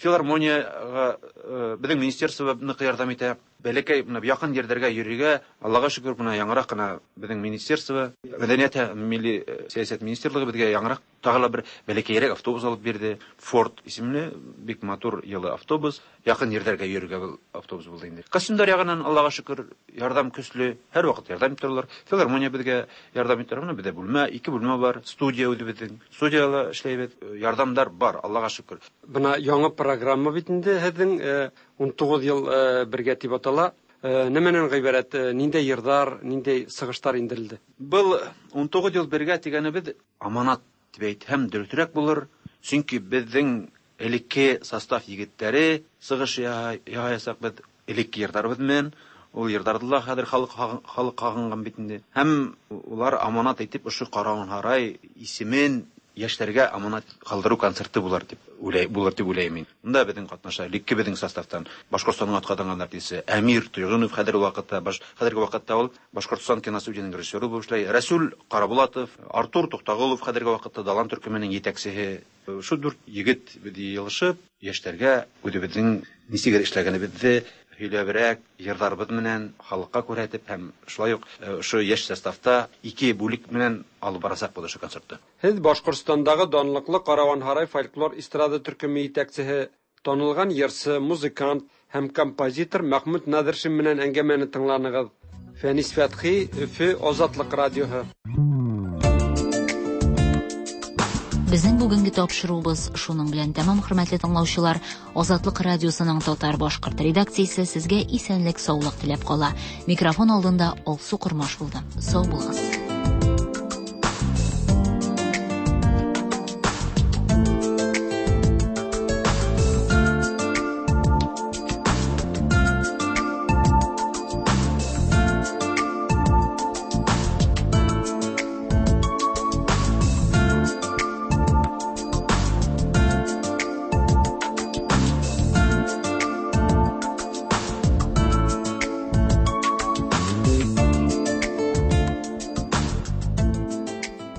Филармониягә безнең министерство нык ярдәм итә. Бәләкәй менә якын җирләргә йөрергә, Аллага шөкер, менә яңарак кына безнең министерство, мәдәният һәм милли сәясәт министрлыгы безгә яңарак тагы ла бер бәләкәйрәк автобус алып бирде. Форд исемле бик матур елы автобус. Якын җирләргә йөрергә был автобус булды инде. Костюмдар ягыннан Аллага шөкер, ярдәм көчле, һәрвакыт ярдәм итәләр. Филармония безгә ярдәм итә. Менә бездә бүлмә, ике бүлмә бар, студия үзебезнең. Студияла эшләйбез. Ярдәмдәр бар, Аллага шөкер. Бына яңа программа бит инде һеҙҙең, 19 ел бергә дип атала. Нәмәнән ғибәрәт, ниндәй йырҙар, ниндәй сығыштар индерелде? Был 19 ел бергә тигәнебеҙ аманат дип әйтһәм дөрөҫөрәк булыр. Сөнки беҙҙең элекке состав егеттәре сығыш яһаясаҡ беҙ элекке йырҙарыбыҙ менән. Ул йырҙарҙы ла хәҙер халыҡ һағынған бит инде. Һәм улар аманат итеп ошо Каравон-Һарай исемен яшьләргә аманат калдыру концерты булыр дип уйлай, булыр дип уйлыйм мин. Монда безнең катнаша, элекке безнең составтан Башкортстанның атказанган артисты Әмир Тойгынов хәзерге вакытта, баш, хәзерге вакытта ул Башкортстан киностудиясенең режиссеры булып эшләй. Рәсүл Карабулатов, Артур Туктагулов хәзерге вакытта Далан төркеменең җитәкчесе. Шу дүрт егет без җыелышып, яшьләргә үзебезнең ничек эшләгәнебезне һөйләбрәк, йырларыбыз менән халыкка күрһәтеп һәм шулай ук ошо яшь составта ике бүлек менән алып барасак булды ошо концертты. Һеҙ Башҡортостандағы данлыҡлы Караванһарай фольклор эстрада төркөмө етәксеһе, танылған йырсы, музыкант һәм композитор Мәхмүт Наҙыршин менән әңгәмәне тыңланығыҙ. Фәнис Фәтхи, Өфө, Азатлыҡ радиоһы. Безнең бүгенге тапшыруыбыз шуның белән тәмам, хөрмәтле тыңлаучылар. Азатлык радиосының татар башкорт редакциясе сезгә исәнлек, саулык теләп кала. Микрофон алдында Алсу Кормаш булды. Сау булыгыз.